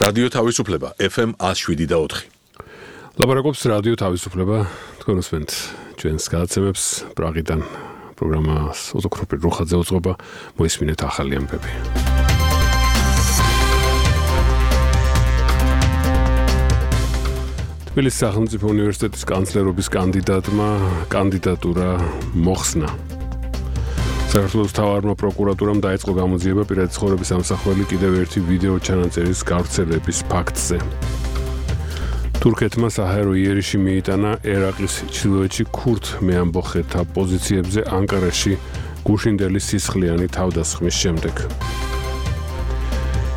რადიო თავისუფლება FM 107.4. ლაპარაკობს რადიო თავისუფლება, თქვენ უსმენთ ჩვენს გადაცემებს პრაღიდან პროგრამას ოზოქროპი რუხაძე უძღვება, მოისმინეთ ახალი ამბები. თბილისის სახელმწიფო უნივერსიტეტის კანცლერობის კანდიდატმა კანდიდატურა მოხსნა. საქართველოს მთავარმა პროკურატურამ დაიწყო გამოძიება პირადი ცხოვრების ამსახველი კიდევ ერთი ვიდეო ჩანაწერის გავრცელების ფაქტზე. თურქეთმა საჰაერო იერიში მიიტანა ერაყის ჩრდილოეთში ქურთ მეამბოხეთა პოზიციებზე ანკარაში გუშინდელი სისხლიანი თავდასხმის შემდეგ.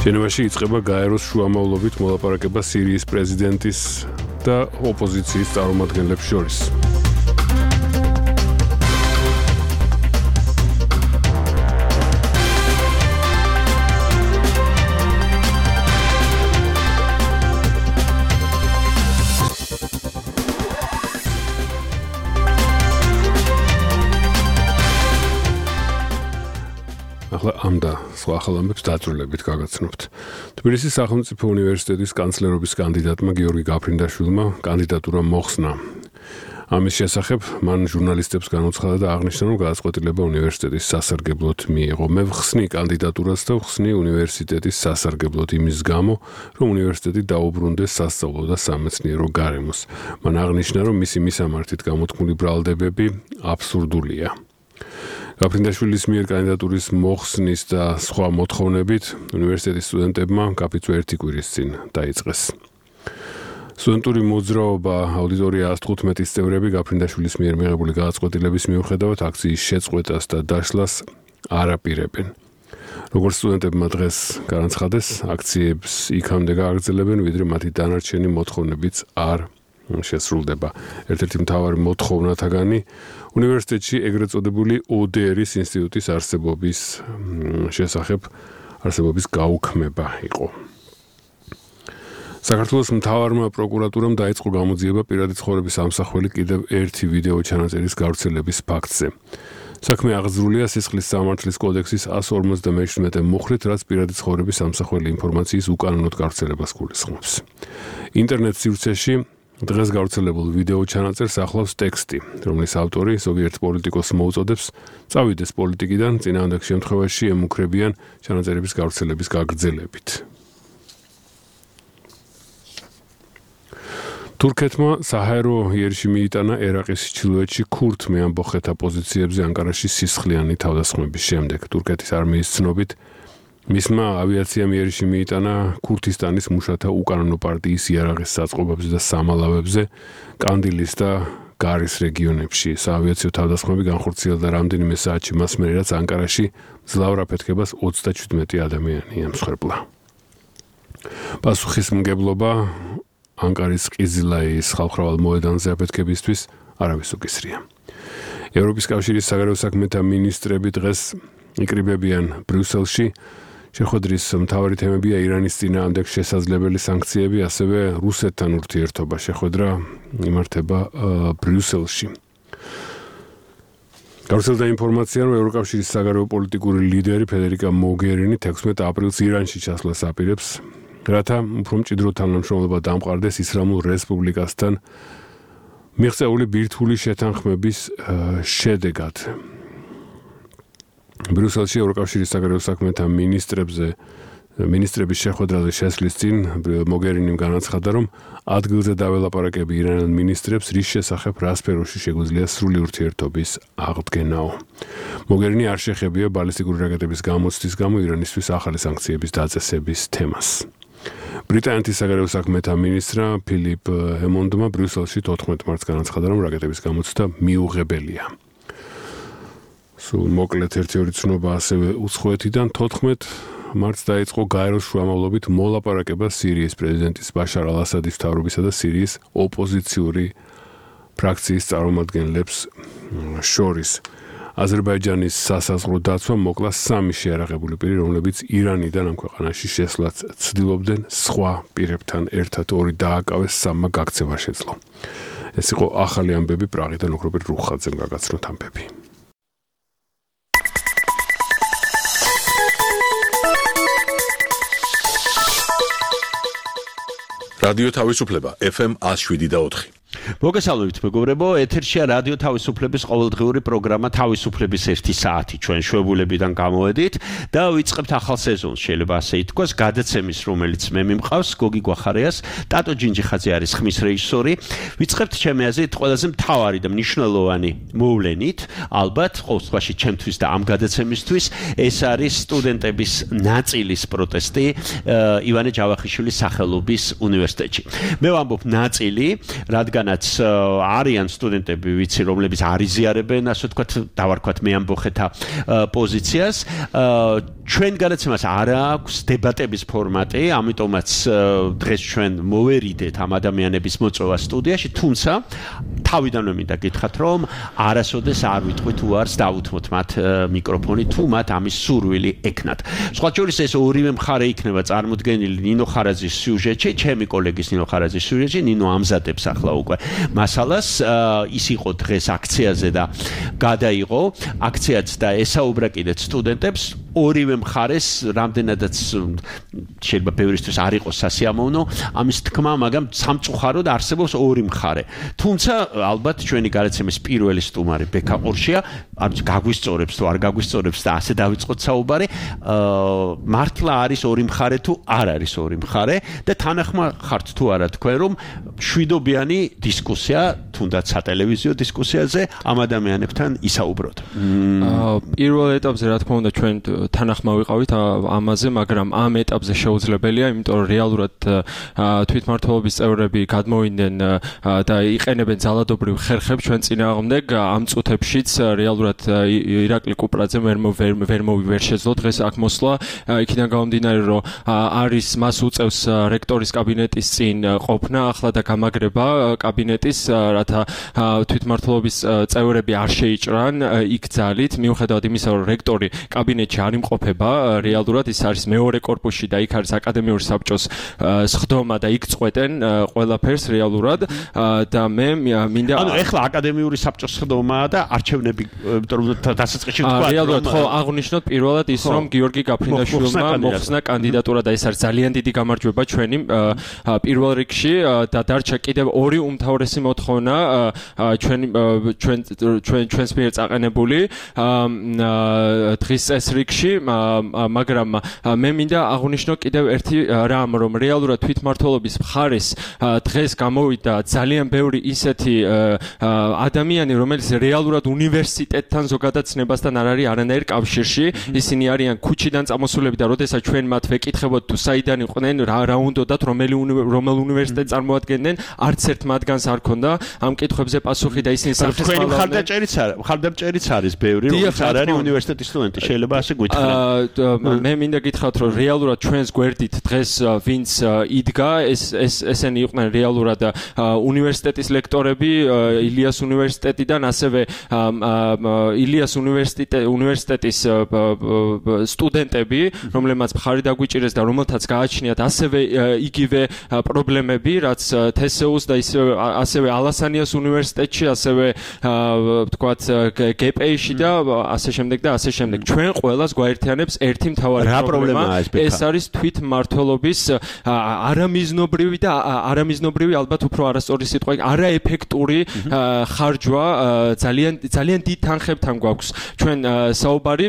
ჟენევაში იწყება გაეროს შუამავლობით მოლაპარაკება სირიის პრეზიდენტის და ოპოზიციის წარმომადგენლებს შორის. ამ და სხვა ახალ ამბებს დაწვრილებით გაგაცნობთ. თბილისის სახელმწიფო უნივერსიტეტის კანცლერობის კანდიდატმა გიორგი გაფრინდაშვილმა კანდიდატურა მოხსნა. ამის შესახებ მან ჟურნალისტებს განუცხადა და აღნიშნა, რომ გადაწყვეტილება უნივერსიტეტის სასარგებლოდ მიიღო. მე ვხსნი კანდიდატურას და ვხსნი უნივერსიტეტის სასარგებლოდ იმის გამო, რომ უნივერსიტეტი დაუბრუნდეს სასწავლო და სამეცნიერო გარემოს. მან აღნიშნა, რომ მისი მისამართით გამოთქმული ბრალდებები აბსურდულია. გაფრინდაშვილის მიერ კანდიდატურის მოხსნის და სხვა მოთხოვნებით უნივერსიტეტის სტუდენტებმა კაფეწვე ერთი კვირის წინ დაიწყეს. სტუდენტური მოძრაობა აუდიტორია 115-ის წევრები გაფრინდაშვილის მიერ მიღებული გადაწყვეტილების მიუხედავად აქციის შეწყვეტას და დაშლას არ აპირებენ. როგორც სტუდენტებმა დღეს განაცხადეს, აქციებს იქამდე გააგრძელებენ, ვიდრე მათი დანარჩენი მოთხოვნებიც არ შესრულდება. ერთ-ერთი მთავარი მოთხოვნათაგანი უნივერსიტეტში ეგრეთ წოდებული ODR-ის ინსტიტუტის არსებობის გაუქმება იყო. საქართველოს მთავარმა პროკურატურამ დაიწყო გამოძიება პირადი ცხოვრების ამსახველი კიდევ ერთი ვიდეო ჩანაწერის გავრცელების ფაქტზე. საქმე აღძრულია სისხლის სამართლის კოდექსის 157 მუხრით, რაც პირადი ცხოვრების ამსახველი ინფორმაციის უკანონოდ გავრცელებას გულისხმობს. ინტერნეტ სივრცეში დღეს გავრცელებულ ვიდეო ჩანაწერს ახლავს ტექსტი, რომლის ავტორი ზოგიერთ პოლიტიკოსს მოუწოდებს წავიდეს პოლიტიკიდან, წინააღმდეგ შემთხვევაში ემუქრებიან ჩანაწერების გავრცელების გაგრძელებით. თურქეთმა საჰაერო იერიში მიიტანა ერაყის ჩრდილოეთში ქურთ მეამბოხეთა პოზიციებზე ანკარაში სისხლიანი თავდასხმების შემდეგ. თურქეთის არმიის ცნობით მისმა ავიაციამ იერიში მიიტანა ქურთისტანის მუშათა უკანონო პარტიის იარაღის საწყობებზე და სამალავებზე კანდილის და გარის რეგიონებში. საავიაციო თავდასხმები განხორციელდა რამდენიმე საათში მას მერე, რაც ანკარაში მძლავრ აფეთქებას 37 ადამიანი ემსხვერპლა. პასუხისმგებლობა ანკარის ყიზილაიის ხალხმრავალ მოედანზე აფეთქებისთვის არავის უკისრია. ევროპის კავშირის საგარეო საქმეთა მინისტრები დღეს იკრიბებიან ბრიუსელში. შეხვედრის მთავარი თემებია ირანის წინააღმდეგ შესაძლებელი სანქციები, ასევე რუსეთთან ურთიერთობა. შეხვედრა იმართება ბრიუსელში. გავრცელდა ინფორმაცია, რომ ევროკავშირის საგარეო პოლიტიკური ლიდერი ფედერიკა მოგერინი 16 აპრილს ირანში ჩასვლას აპირებს, რათა უფრო მჭიდრო თანამშრომლობა დამყარდეს ისლამურ რესპუბლიკასთან მიღწეული ბირთვული შეთანხმების შედეგად. ბრიუსელში ევროკავშირის საგარეო საქმეთა მინისტრების შეხვედრაზე შესვლის წინ მოგერინიმ განაცხადა, რომ ადგილზე დაველაპარაკები ირანელ მინისტრებს, რის შესახებ რა სფეროში შეგვიძლია სრული ურთიერთობის აღდგენაო. მოგერინი არ შეხებია ბალისტიკური რაკეტების გამოცდის გამო ირანისთვის ახალი სანქციების დაწესების თემას. ბრიტანეთის საგარეო საქმეთა მინისტრა ფილიპ ჰემონდმა ბრიუსელში 14 მარტს განაცხადა, რომ რაკეტების გამოცდა მიუღებელია. მოკლედ ერთი-ორი ცნობა ასევე უცხოეთიდან 14 მარტს დაიწყო გაეროს შუამავლობით მოლაპარაკება სირიის პრეზიდენტის ბაშარ ალ-ასადის მთავრობისა და სირიის ოპოზიციური ფრაქციის წარმომადგენლებს შორის. აზერბაიჯანის სასაზღვრო დაცვა მოკლა 3 შეარაღებული პირი, რომლებიც ირანიდან ამ ქვეყანაში შესვლას ცდილობდნენ, სხვა პირებთან ერთად 2 დააკავეს, 3 გაქცევა შეძლო. ეს იყო ახალი ამბები პრაღიდან ოქროპირ რუხაძემ გაგაცნოთ ამბები. რადიო თავისუფლება FM 107.4. მოგესალმებით მეგობრებო, ეთერშია რადიო თავისუფლების ყოველდღიური პროგრამა თავისუფლების 1 საათი. ჩვენ შვებულებიდან გამოვედით და ვიწყებთ ახალ სეზონს, შეიძლება ასე ითქვას, გადაცემის, რომელიც მე მიმყავს, გოგი გვახარიას, ტატო ჯინჯიხაძე არის ხმის რეჟისორი. ვიწყებთ ჩემი აზრით ყველაზე მთავარი და მნიშვნელოვანი მოვლენით, ალბათ, ყოველ შემთხვევაში ჩემთვის და ამ გადაცემისთვის, ეს არის სტუდენტების ნაწილის პროტესტი ივანე ჯავახიშვილის სახელობის უნივერსიტეტში. მე ვამბობ ნაწილი, რადგან არიან სტუდენტები, ვიცი, რომლებიც არიზიარებენ, ასე ვთქვათ, დავარქვათ მე ამბოხეთა პოზიციას. ჩვენ გადაცემას არ აქვს დებატების ფორმატი, ამიტომაც დღეს ჩვენ მოვერიდეთ ამ ადამიანების მოწვევა სტუდიაში, თუმცა თავიდანვე მინდა გითხრათ, რომ არასოდეს არ ვიტყვით უარს დავუთმოთ მათ მიკროფონი, თუ მათ ამის სურვილი ექნათ. სხვა შორის ეს ორივე მხარე იქნება წარმოდგენილი ნინო ხარაძის სიუჟეტში, ჩემი კოლეგის ნინო ხარაძის სიუჟეტში, ნინო ამზადებს ახლა უკვე მასალას, ის იყო დღეს აქციაზე და გადაიღო აქციაც და ესაუბრა კიდეც სტუდენტებს, ორივე მხარეს რამდენადაც შეიძლება ბევრისთვის არ იყოს სასიამოვნო ამის თქმა, მაგრამ სამწუხაროდ არსებობს ორი მხარე. თუმცა ალბათ ჩვენი გადაცემის პირველი სტუმარი ბექა ყურშია, გაგვისწორებს თუ არ გაგვისწორებს და ასე დავიწყოთ საუბარი, მართლა არის ორი მხარე თუ არ არის ორი მხარე და თანახმა ხართ თუ არა თქვენ, რომ შვიდობიანი დისკუსია, თუნდაც სატელევიზიო დისკუსიაზე ამ ადამიანებთან ისაუბროთ. პირველ ეტაპზე რა თქმა უნდა ჩვენ თანახმა ვიყავით ამაზე, მაგრამ ამ ეტაპზე შეუძლებელია, იმიტომ რომ რეალურად თვითმმართველობის წევრები გადმოვიდნენ და იყენებენ ძალადობრივ ხერხებს ჩვენ წინააღმდეგ. ამ წუთებშიც რეალურად ირაკლი კუპრაძე ვერ შეძლო დღეს აქ მოსვლა, იქიდან გამომდინარე, რომ არის მას უწევს რექტორის კაბინეტის წინ ყოფნა ახლა და გამაგრება კაბინეტის, რათა თვითმმართველობის წევრები არ შეიჭრან იქ ძალით, მიუხედავად იმისა, რომ რექტორი კაბინეტში არ იმყოფება, რეალურად ის არის მეორე კორპუსში და იქ არის აკადემიური საბჭოს სხდომა და იქ წყვეტენ ყველაფერს რეალურად და მე მინდა ანუ ეხლა აკადემიური საბჭოს სხდომაა და არჩევნები, იმიტომ რომ დასაწყისში თქვა რეალურად ხო აღნიშნოთ პირველად ის, რომ გიორგი გაფრინდაშვილმა მოხსნა კანდიდატურა და ეს არის ძალიან დიდი გამარჯვება ჩვენი პირველ რიგში და დარჩა კიდევ ორი უმთავრესი მოთხოვნა ჩვენს მიერ წაყენებული დღის ეს რიგში, მაგრამ მე მინდა აღვნიშნო კიდევ ერთი რამ, რომ რეალურად თვითმმართველობის მხარეს დღეს გამოვიდა ძალიან ბევრი ისეთი ადამიანი, რომელიც რეალურად უნივერსიტეტთან ზოგადაცნებასთან არ არის არანაირ კავშირში, ისინი არიან ქუჩიდან წამოსულები და როდესაც ჩვენ მათ ვეკითხებოდ თუ საიდან იყვნენ, რა უნდათ, რომელ უნივერსიტეტს წარმოადგენდნენ, არც ერთ მათგანს არ ქონდა ამ კითხვებზე პასუხი და ისინი სახეს თქვენი მხარდამჭერიც არის ბევრი, რომელიც არ არის უნივერსიტეტის სტუდენტი, შეიძლება ასე გითხრათ. მე მინდა გითხრათ, რომ რეალურად ჩვენს გვერდით დღეს ვინც იდგა, ესენი იყვნენ რეალურად უნივერსიტეტის ლექტორები, ილიას უნივერსიტეტიდან, ასევე ილიას უნივერსიტეტის სტუდენტები, რომლებმაც მხარი დაგვიჭირეს და რომელთაც გააჩნიათ ასევე იგივე პრობლემები, რაც თესეუს და ასევე ალასანიას უნივერსიტეტში, ასევე ვთქვათ გპ-ში და ასე შემდეგ და ასე შემდეგ. ჩვენ ყველას გვაერთიანებს ერთი მთავარი პრობლემა, ეს არის თვითმმართველობის არამიზნობრივი და არამიზნობრივი, ალბათ უფრო არასწორი სიტყვა, არაეფექტური ხარჯვა ძალიან დიდ თანხებთან გვაქვს ჩვენ საუბარი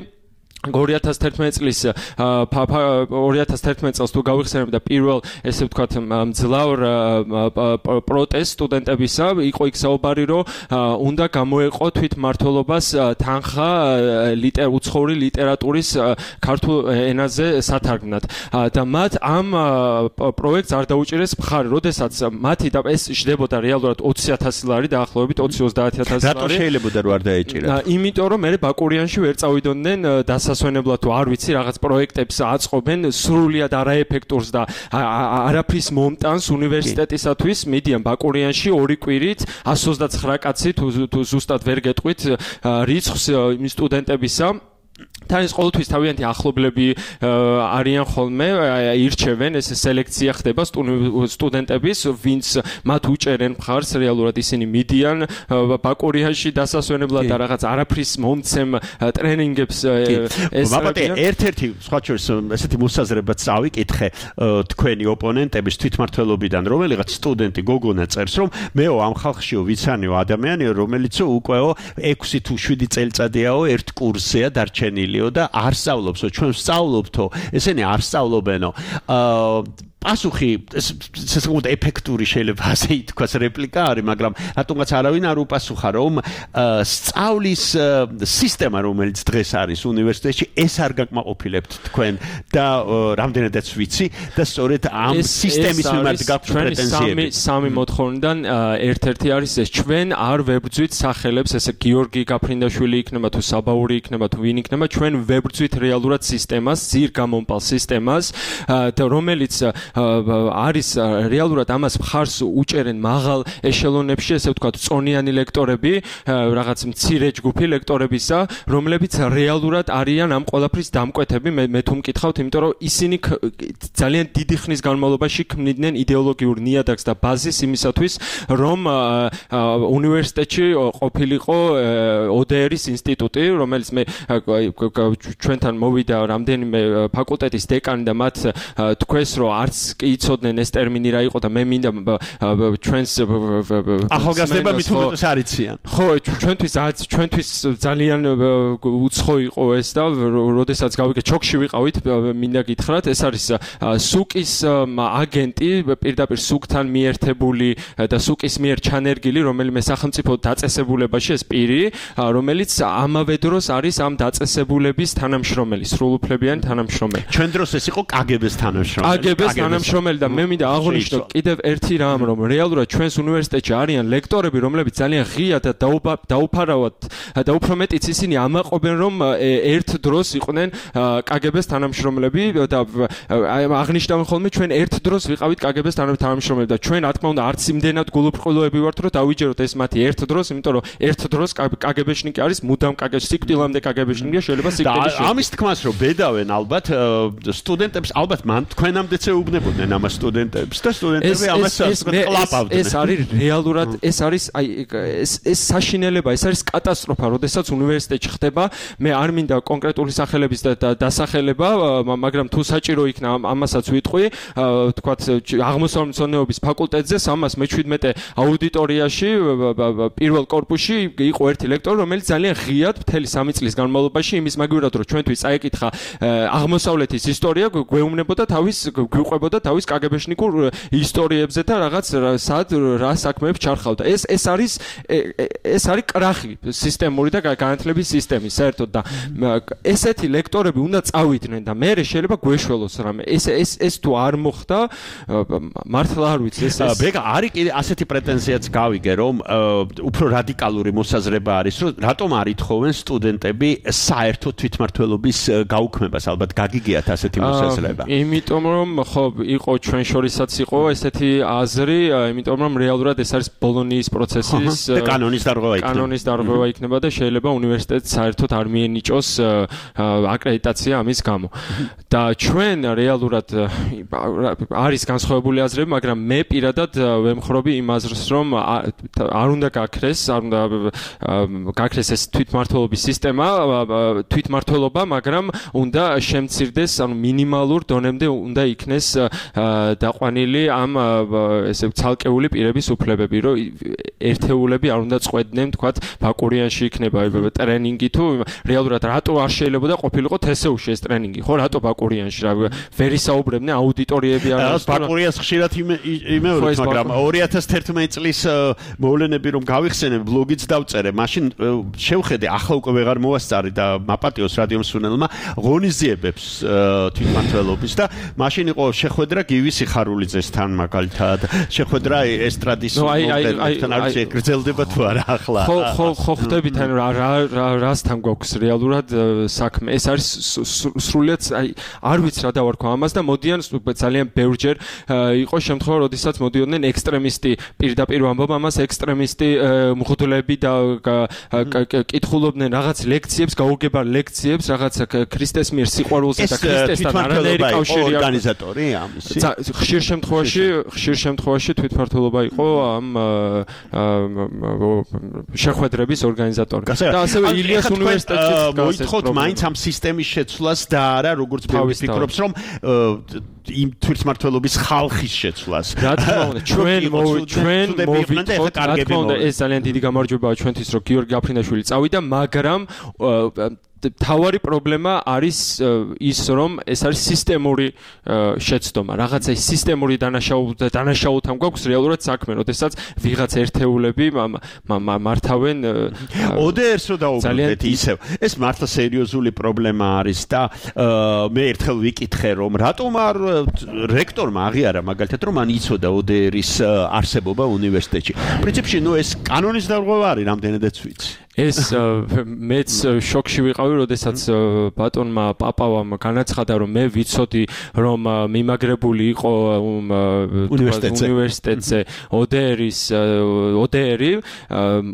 2011 წელს თუ გავიხსენებ და პირველ ესე ვთქვათ მძლავრ პროტესტ სტუდენტებისა იყო იქ საუბარი, რომ უნდა გამოეყო თვითმმართველობას თანხა უცხოური ლიტერატურის ქართულ ენაზე სათარგმნად და მათ ამ პროექტს არ დაუჭირეს მხარი, როდესაც მათი და ეს შდებოდა რეალურად 20,000 ლარი დაახლოებით 20-30,000 ლარი. რატო შეიძლებოდა რომ არ დაეჭირათ? იმიტომ რომ მე ბაკურიანში ვერ წავიდოდნენ დასასვენებლად თუ არ ვიცი რაღაც პროექტებს აწყობენ სრულიად არაეფექტურს და არაფრის მომტანს უნივერსიტეტისათვის. მიდიან ბაკურიანში ორი კვირით 129 კაცი თუ ზუსტად ვერ გეტყვით რიცხვს იმ სტუდენტებისა თან ის ყოველთვის თავიანთი ახლობლები არიან ხოლმე, ირჩევენ, ეს სელექცია ხდება სტუდენტების, ვინც მათ უჭერენ მხარს, რეალურად ისინი მიდიან ბაკურიაში დასასვენებლად და რაღაც არაფრის მომცემ ტრენინგებს ესწრებიან. ერთ-ერთი სხვა შორის ესეთი მოსაზრებაც წავიკითხე თქვენი ოპონენტების თვითმმართველობიდან, რომელიღაც სტუდენტი გოგონა წერს, რომ მეო ამ ხალხშიო ვიცანიო ადამიანიო, რომელიც უკვე 6 თუ 7 წელიწადიაო ერთ კურსზეა დარჩენილიო და არ სწავლობსო, ჩვენ ვსწავლობთო, ესენი არ სწავლობენო. პასუხი შესაძლოა ეფექტური შეიძლება ასე ითქვას რეპლიკა არის, მაგრამ რატომღაც არავინ არ უპასუხა, რომ სწავლის სისტემა, რომელიც დღეს არის უნივერსიტეტში, ეს არ გაკმაყოფილებთ თქვენ და რამდენადაც ვიცი და სწორედ ამ სისტემის მიმართ გაქვთ პრეტენზიები. სამი მოთხოვნიდან ერთ-ერთი არის ეს, ჩვენ არ ვებრძვით სახელებს, ესე გიორგი გაფრინდაშვილი იქნება თუ საბაური იქნება თუ ვინ იქნება, ჩვენ ვებრძვით რეალურად სისტემას, ძირგამომპალ სისტემას და რომელიც არის რეალურად ამას მხარს უჭერენ მაღალ ეშელონებში, ესე ვთქვათ, წონიანი ლექტორები, რაღაც მცირე ჯგუფი ლექტორებისა, რომლებიც რეალურად არიან ამ ყველაფრის დამკვეთები, მე თუ მკითხავთ, იმიტომ რომ ისინი ძალიან დიდი ხნის განმავლობაში ქმნიდნენ იდეოლოგიურ ნიადაგს და ბაზისს იმისათვის, რომ უნივერსიტეტში ყოფილიყო ODR-ის ინსტიტუტი, რომელიც მე ჩვენთან მოვიდა რამდენიმე ფაკულტეტის დეკანი და მათ თქვეს, რომ არც იცოდნენ ეს ტერმინი რა იყო და მე მინდა ჩვენს ახალგაზრდება მithumetes არ იციან. ხო, ჩვენთვის ძალიან უცხო იყო ეს და როდესაც გავიგე ჩოქში ვიყავით, მინდა გითხრათ, ეს არის სუკის აგენტი, პირდაპირ სუკთან მიერთებული და სუკის მიერ ჩანერგილი, რომელიმე სახელმწიფო დაწესებულებაში ეს პირი, რომელიც ამავე დროს არის ამ დაწესებულების თანამშრომელი, სრულუფლებიანი თანამშრომელი. ჩვენ დროს ეს იყო KGB-ს თანამშრომელი. შრომელი და მე მინდა აღვნიშნო კიდევ ერთი რამ, რომ რეალურად ჩვენს უნივერსიტეტში არიან ლექტორები, რომლებიც ძალიან ღია და დაუფარავად და უფრო მეტიც ისინი ამაყობენ, რომ ერთ დროს იყვნენ KGB-ს თანამშრომლები და აღნიშნავენ ხოლმე ჩვენ ერთ დროს ვიყავით KGB-ს თანამშრომლები და ჩვენ რა თქმა უნდა არც იმდენად გულუბრყვილოები ვართ, რომ დავიჯეროთ ეს მათი ერთ დროს, იმიტომ რომ ერთ დროს KGB-შნიკი არის მუდამ სიკვდილამდე KGB-შნიკია, შეიძლება სიკვდილის და ამის თქმას რომ ბედავენ ალბათ სტუდენტებს, ალბათ მან თქვენამდეც ეუბნებოდნენ ამ სტუდენტებს და სტუდენტები ამას კლაპავდნენ. ეს არის რეალურად, ეს არის აი ეს საშინელება, ეს არის კატასტროფა, როდესაც უნივერსიტეტში ხდება. მე არ მინდა კონკრეტული სახელების დასახელება, მაგრამ თუ საჭირო იქნა ამასაც ვიტყვი, თქვათ აღმოსავლეთმცოდნეობის ფაკულტეტზე 317 აუდიტორიაში პირველ კორპუსში იყო ერთი ლექტორი, რომელიც ძალიან ღიად მთელი 3 წლის განმავლობაში იმის მაგივრად რომ ჩვენთვის წაეკითხა აღმოსავლეთის ისტორია, გვეუბნებოდა თავის გვიყვებოდა თავის KGB-შნიკურ ისტორიებზე და რაღაც სად რა საქმეებს ჩარხავდა. ეს არის კრახი სისტემური და განათლების სისტემის საერთოდ და ესეთი ლექტორები უნდა წავიდნენ და მე შეიძლება გვეშველოს რამე. ეს თუ არ მოხდა, მართლა არ ვიცი ეს. ბეგა არის კიდე ასეთი პრეტენზიაც გავიგე, რომ უფრო რადიკალური მოსაზრება არის, რომ რატომ არ ითხოვენ სტუდენტები საერთო თვითმმართველობის გაუქმებას, ალბათ გაგიგიათ ასეთი მოსაზრება. იმიტომ რომ ხო იყო ჩვენ შორისაც იყო ესეთი აზრი, იმიტომ რომ რეალურად ეს არის ბოლონიის პროცესის კანონის დარღვევა იქნება და შეიძლება უნივერსიტეტს საერთოდ არ მიენიჭოს აკრედიტაცია ამის გამო. და ჩვენ რეალურად არის განსხვავებული აზრები, მაგრამ მე პირადად ვემხრობი იმ აზრს, რომ არ უნდა გაქრეს ეს თვითმმართველობის სისტემა, თვითმმართველობა, მაგრამ უნდა შემცირდეს, ანუ მინიმალურ დონემდე უნდა იქნეს დაყვანილი ამ ესე ცალკეული პირების უფლებები, რომ ერთეულები არ უნდა წყვეტდნენ, თქვათ, ბაკურიანში იქნება ტრენინგი თუ რეალურად რატო არ შეიძლებოდა ყოფილიყო თესეუში ეს ტრენინგი, ხო, რატო ბაკურიანში რა ვერ ისაუბრებდნენ აუდიტორიები არის ბაკურიას ხშირად იმეორებთ, მაგრამ 2011 წლის მოვლენები რომ გავიხსენებ, ბლოგიც დავწერე, მაშინ შევხედე, ახლა უკვე ვეღარ მოვასწარი და მაპატიოს რადიო მსურველმა ღონისძიებებს თვითმმართველობის და მაშინ იყო შეხვედრა გივი სიხარულიძესთან მაგალითად, შეხვედრა ესტრადის მომღერლებთან, არ ვიცი გრძელდება თუ არა ახლა. ხო ხდებით, ანუ რასთან გვაქვს რეალურად საქმე. ეს არის სრულიად არ ვიცი რა დავარქვა ამას და მოდიან ძალიან ბევრჯერ იყო შემთხვევა, როდესაც მოდიოდნენ ექსტრემისტი პირდაპირ ვამბობ ამას ექსტრემისტი მღვდლები და კითხულობდნენ რაღაც ლექციებს, გაუგებარ ლექციებს, რაღაც ქრისტეს მიერ სიყვარულზე და ქრისტესთან არანაირი კავშირი არ ორგანიზატორი ამისი. ხშირ შემთხვევაში თვითმმართველობა იყო ამ შეხვედრების ორგანიზატორი. და ასევე ილიას უნივერსიტეტშიც მოითხოვთ მაინც ამ სისტემის შეცვლას და არა როგორც ბევრი ფიქრობს რომ იმ თვითმმართველობის ხალხის შეცვლას. რა თქმა უნდა, ჩვენ მოვიტყოთ, რა თქმა უნდა, ეს ძალიან დიდი გამარჯვებაა ჩვენთვის, რომ გიორგი გაფრინდაშვილი წავიდა, მაგრამ თავარი პრობლემა არის ის, რომ ეს არის სისტემური შეცდომა. რაღაცა სისტემური დანაშაულთან გვაქვს რეალურად საქმე, როდესაც ვიღაც ერთეულები მართავენ ODR-ს რო დაუბრუნდეთ ისევ. ეს მართლა სერიოზული პრობლემა არის და მე ერთხელ ვიკითხე, რომ რატომ არ რექტორმა აღიარა მაგალითად, რომ მან იცოდა ODR-ის არსებობა უნივერსიტეტში. პრინციპში, ეს კანონის დარღვევა არის, რამდენადაც ვიცი. ეს მეც შოკში ვიყავი, როდესაც ბატონმა პაპავამ განაცხადა, რომ მე ვიცოდი, რომ მიმაგრებული იყო უნივერსიტეტზე ODR-ი,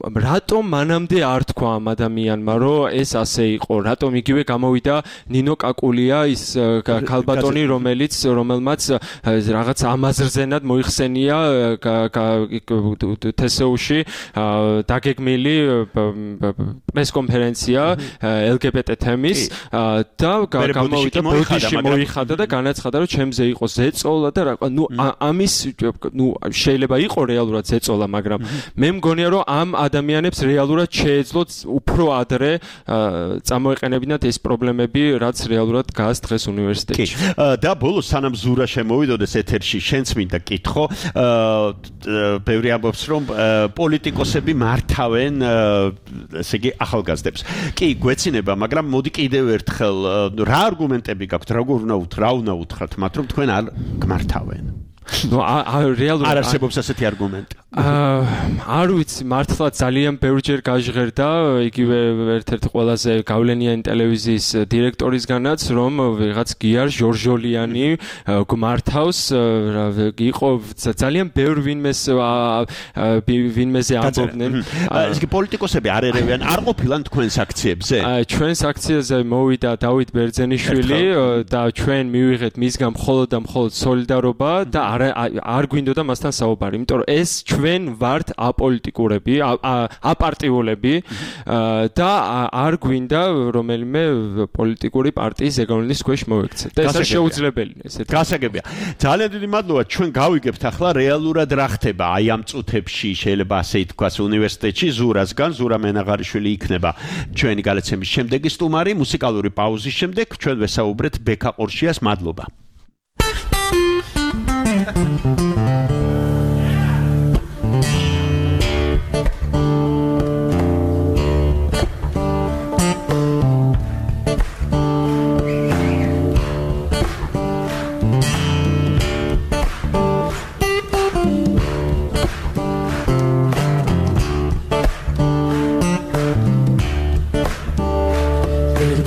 რატომ მანამდე არ თქვა ამ ადამიანმა, რომ ეს ასე იყო, რატომ იგივე გამოვიდა ნინო კაკულია, ის ქალბატონი, რომელმაც რაღაც ამაზრზენად მოიხსენია თსუ-ში დაგეგმილი პრესკონფერენცია LGBT თემის და გამოვიდა ბოდიში მოიხადა და განაცხადა, რომ ჩემზე იყო ზეწოლა და ამის შეიძლება იყო რეალურად ზეწოლა, მაგრამ მე მგონია, რომ ამ ადამიანებს რეალურად შეეძლოთ უფრო ადრე წამოეყენებინათ ეს პრობლემები, რაც რეალურად დგას დღეს უნივერსიტეტში. და ბოლოს სანამ ზურა შემოვიდოდეს ეთერში, შენც მინდა კითხო, ბევრი ამბობს, რომ პოლიტიკოსები მართავენ ესე იგი ახალგაზრდებს. კი, გვეცინება, მაგრამ მოდი კიდევ ერთხელ რა არგუმენტები გაქვთ, რა უნდა უთხრათ მათ, რომ თქვენ არ გმართავენ? რეალურად არ არსებობს ასეთი არგუმენტი. არ ვიცი, მართლა ძალიან ბევრჯერ გაჟღერდა იგივე ერთ-ერთი ყველაზე გავლენიანი ტელევიზიის დირექტორისგანაც, რომ ვიღაც გიარ ჟორჟოლიანი გმართავს, იყო ძალიან ბევრ ვინმეზე ამბობდნენ. ეს კი პოლიტიკოსები არ ერევიან, არ ყოფილან თქვენს აქციებზე? ჩვენს აქციაზე მოვიდა დავით ბერძენიშვილი და ჩვენ მივიღეთ მისგან მხოლოდ და მხოლოდ სოლიდარობა და არ გვინდოდა მასთან საუბარი, იმიტომ რომ ეს ჩვენ ვართ აპოლიტიკურები, აპარტიულები და არ გვინდა რომელიმე პოლიტიკური პარტიის ზეგავლენის ქვეშ მოვექცეთ. და ეს არ შეუძლებელი ესეთი. გასაგებია. ძალიან დიდი მადლობა. ჩვენ გავიგებთ ახლა რეალურად რა ხდება აი ამ წუთებში, შეიძლება ასე ითქვას, უნივერსიტეტში ზურასგან, ზურა მენაღარიშვილი იქნება ჩვენი გადაცემის შემდეგი სტუმარი. მუსიკალური პაუზის შემდეგ ჩვენ ვესაუბრეთ ბექა ყორშიას. მადლობა.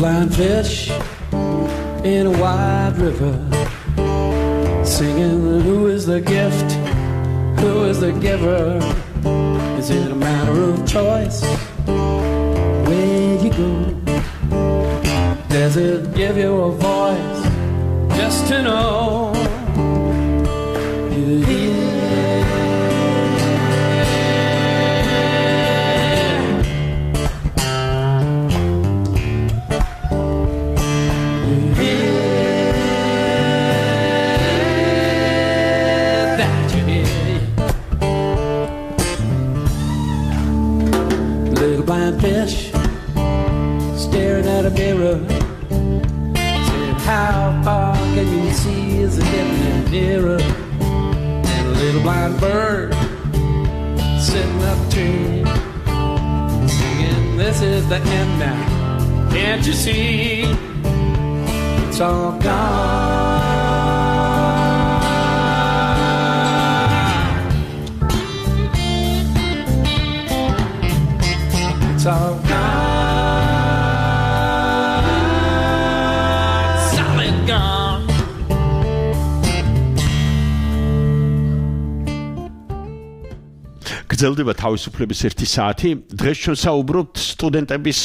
Blind fish in a wide river, singing, who is the gift, who is the giver? Is it a matter of choice where you go? Does it give you a voice just to know you're here? Blind fish staring at a mirror, said, how far can you see? Is it getting nearer? And a little blind bird sitting up a tree, singing, this is the end now, can't you see? It's all gone. It's all gone, solid gone. გრძელდება თავისუფლების 1 საათი. დღეს ჩვენ საუბრობთ სტუდენტების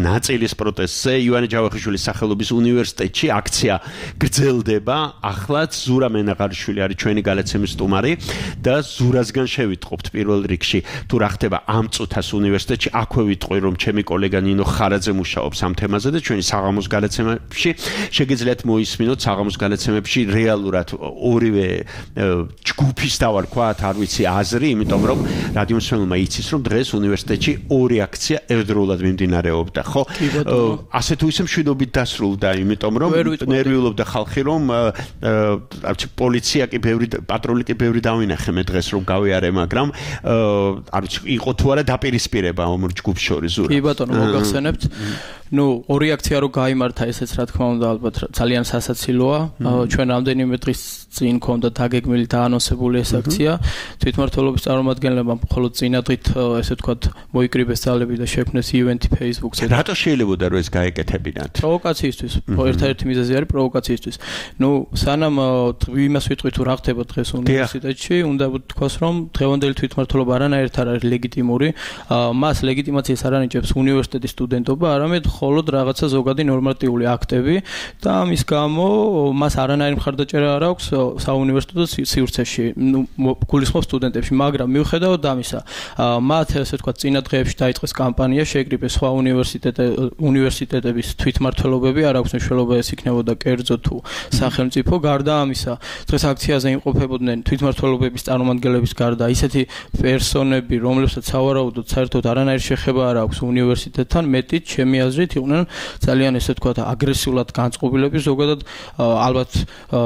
ნაწილის პროტესტზე. ივანე ჯავახიშვილის სახელობის უნივერსიტეტში აქცია გრძელდება. ახლაც ზურა მენაღარიშვილი არის ჩვენი გადაცემის სტუმარი და ზურასგან შევიტყობთ პირველ რიგში თუ რა ხდება ამ წუთას უნივერსიტეტში. აქვე ვიტყვი რომ ჩემი კოლეგა ნინო ხარაძე მუშაობს ამ თემაზე და ჩვენი საღამოს გადაცემებში შეგიძლიათ მოისმინოთ საღამოს გადაცემებში რეალურად ორივე ჯგუფის დავარქვათ, არ ვიცი, აზრი, იმიტომ რომ რადიო მსმენელმა იცის რომ დღეს უნივერსიტეტში ორი აქცია ერთდროულად მიმდინარეობდა, ხო? ასე თუ ისე მშვიდობით დასრულდა, იმიტომ რომ ნერვიულობდა ხალხი, რომ პოლიცია კი პატრული კი ბევრი დავინახე მე დღეს რომ გავიარე, მაგრამ არ ვიცი, იყო თუ არა დაპირისპირება ამ ჯგუფს შორის ზურა. კი ბატონო, მოგახსენებთ. ორი აქცია რო გაიმართა, ესეც რა თქმა უნდა ალბათ ძალიან სასაცილოა. ჩვენ რამდენიმე დღის წინ ქონდა დაგეგმილი დაანონსებული ეს აქცია. თვითმმართველობის წარმომადგენლებმა მხოლოდ წინადღით ესე ვთქვათ მოიკრიბეს ძალები და შექმნეს ივენთი Facebook-ზე. რატო შეიძლებოდა რომ ეს გაეკეთებინათ? პროვოკაციისთვის. ერთ-ერთი მიზეზი არის პროვოკაციისთვის. სანამ იმას ვიტყვით თუ რა ხდება დღეს უნივერსიტეტში, უნდა ვთქვას რომ დღევანდელი თვითმმართველობა არანაირად არ არის ლეგიტიმური. მას ლეგიტიმაციას არ ანიჭებს უნივერსიტეტის სტუდენტობა, არამედ მხოლოდ რაღაცა ზოგადი ნორმატიული აქტები და ამის გამო მას არანაირი მხარდაჭერა არ აქვს საუნივერსიტეტო სივრცეში, გულისხმობს სტუდენტებში, მაგრამ მიუხედავად ამისა, მათ ესე ვთქვათ წინა დღეებში დაიწყეს კამპანია, შეეკრიბეს სხვა უნივერსიტეტების თვითმმართველობები, არ აქვს მნიშვნელობა ეს იქნებოდა კერძო თუ სახელმწიფო. გარდა ამისა, დღეს აქციაზე იმყოფებოდნენ თვითმმართველობების წარმომადგენლების გარდა ისეთი პერსონები, რომლებსაც სავარაუდოდ საერთოდ არანაირი შეხება არ აქვს უნივერსიტეტთან, მეტიც ჩემი აზრით იყვნენ ძალიან ესე ვთქვათ აგრესიულად განწყობილები ზოგადად ალბათ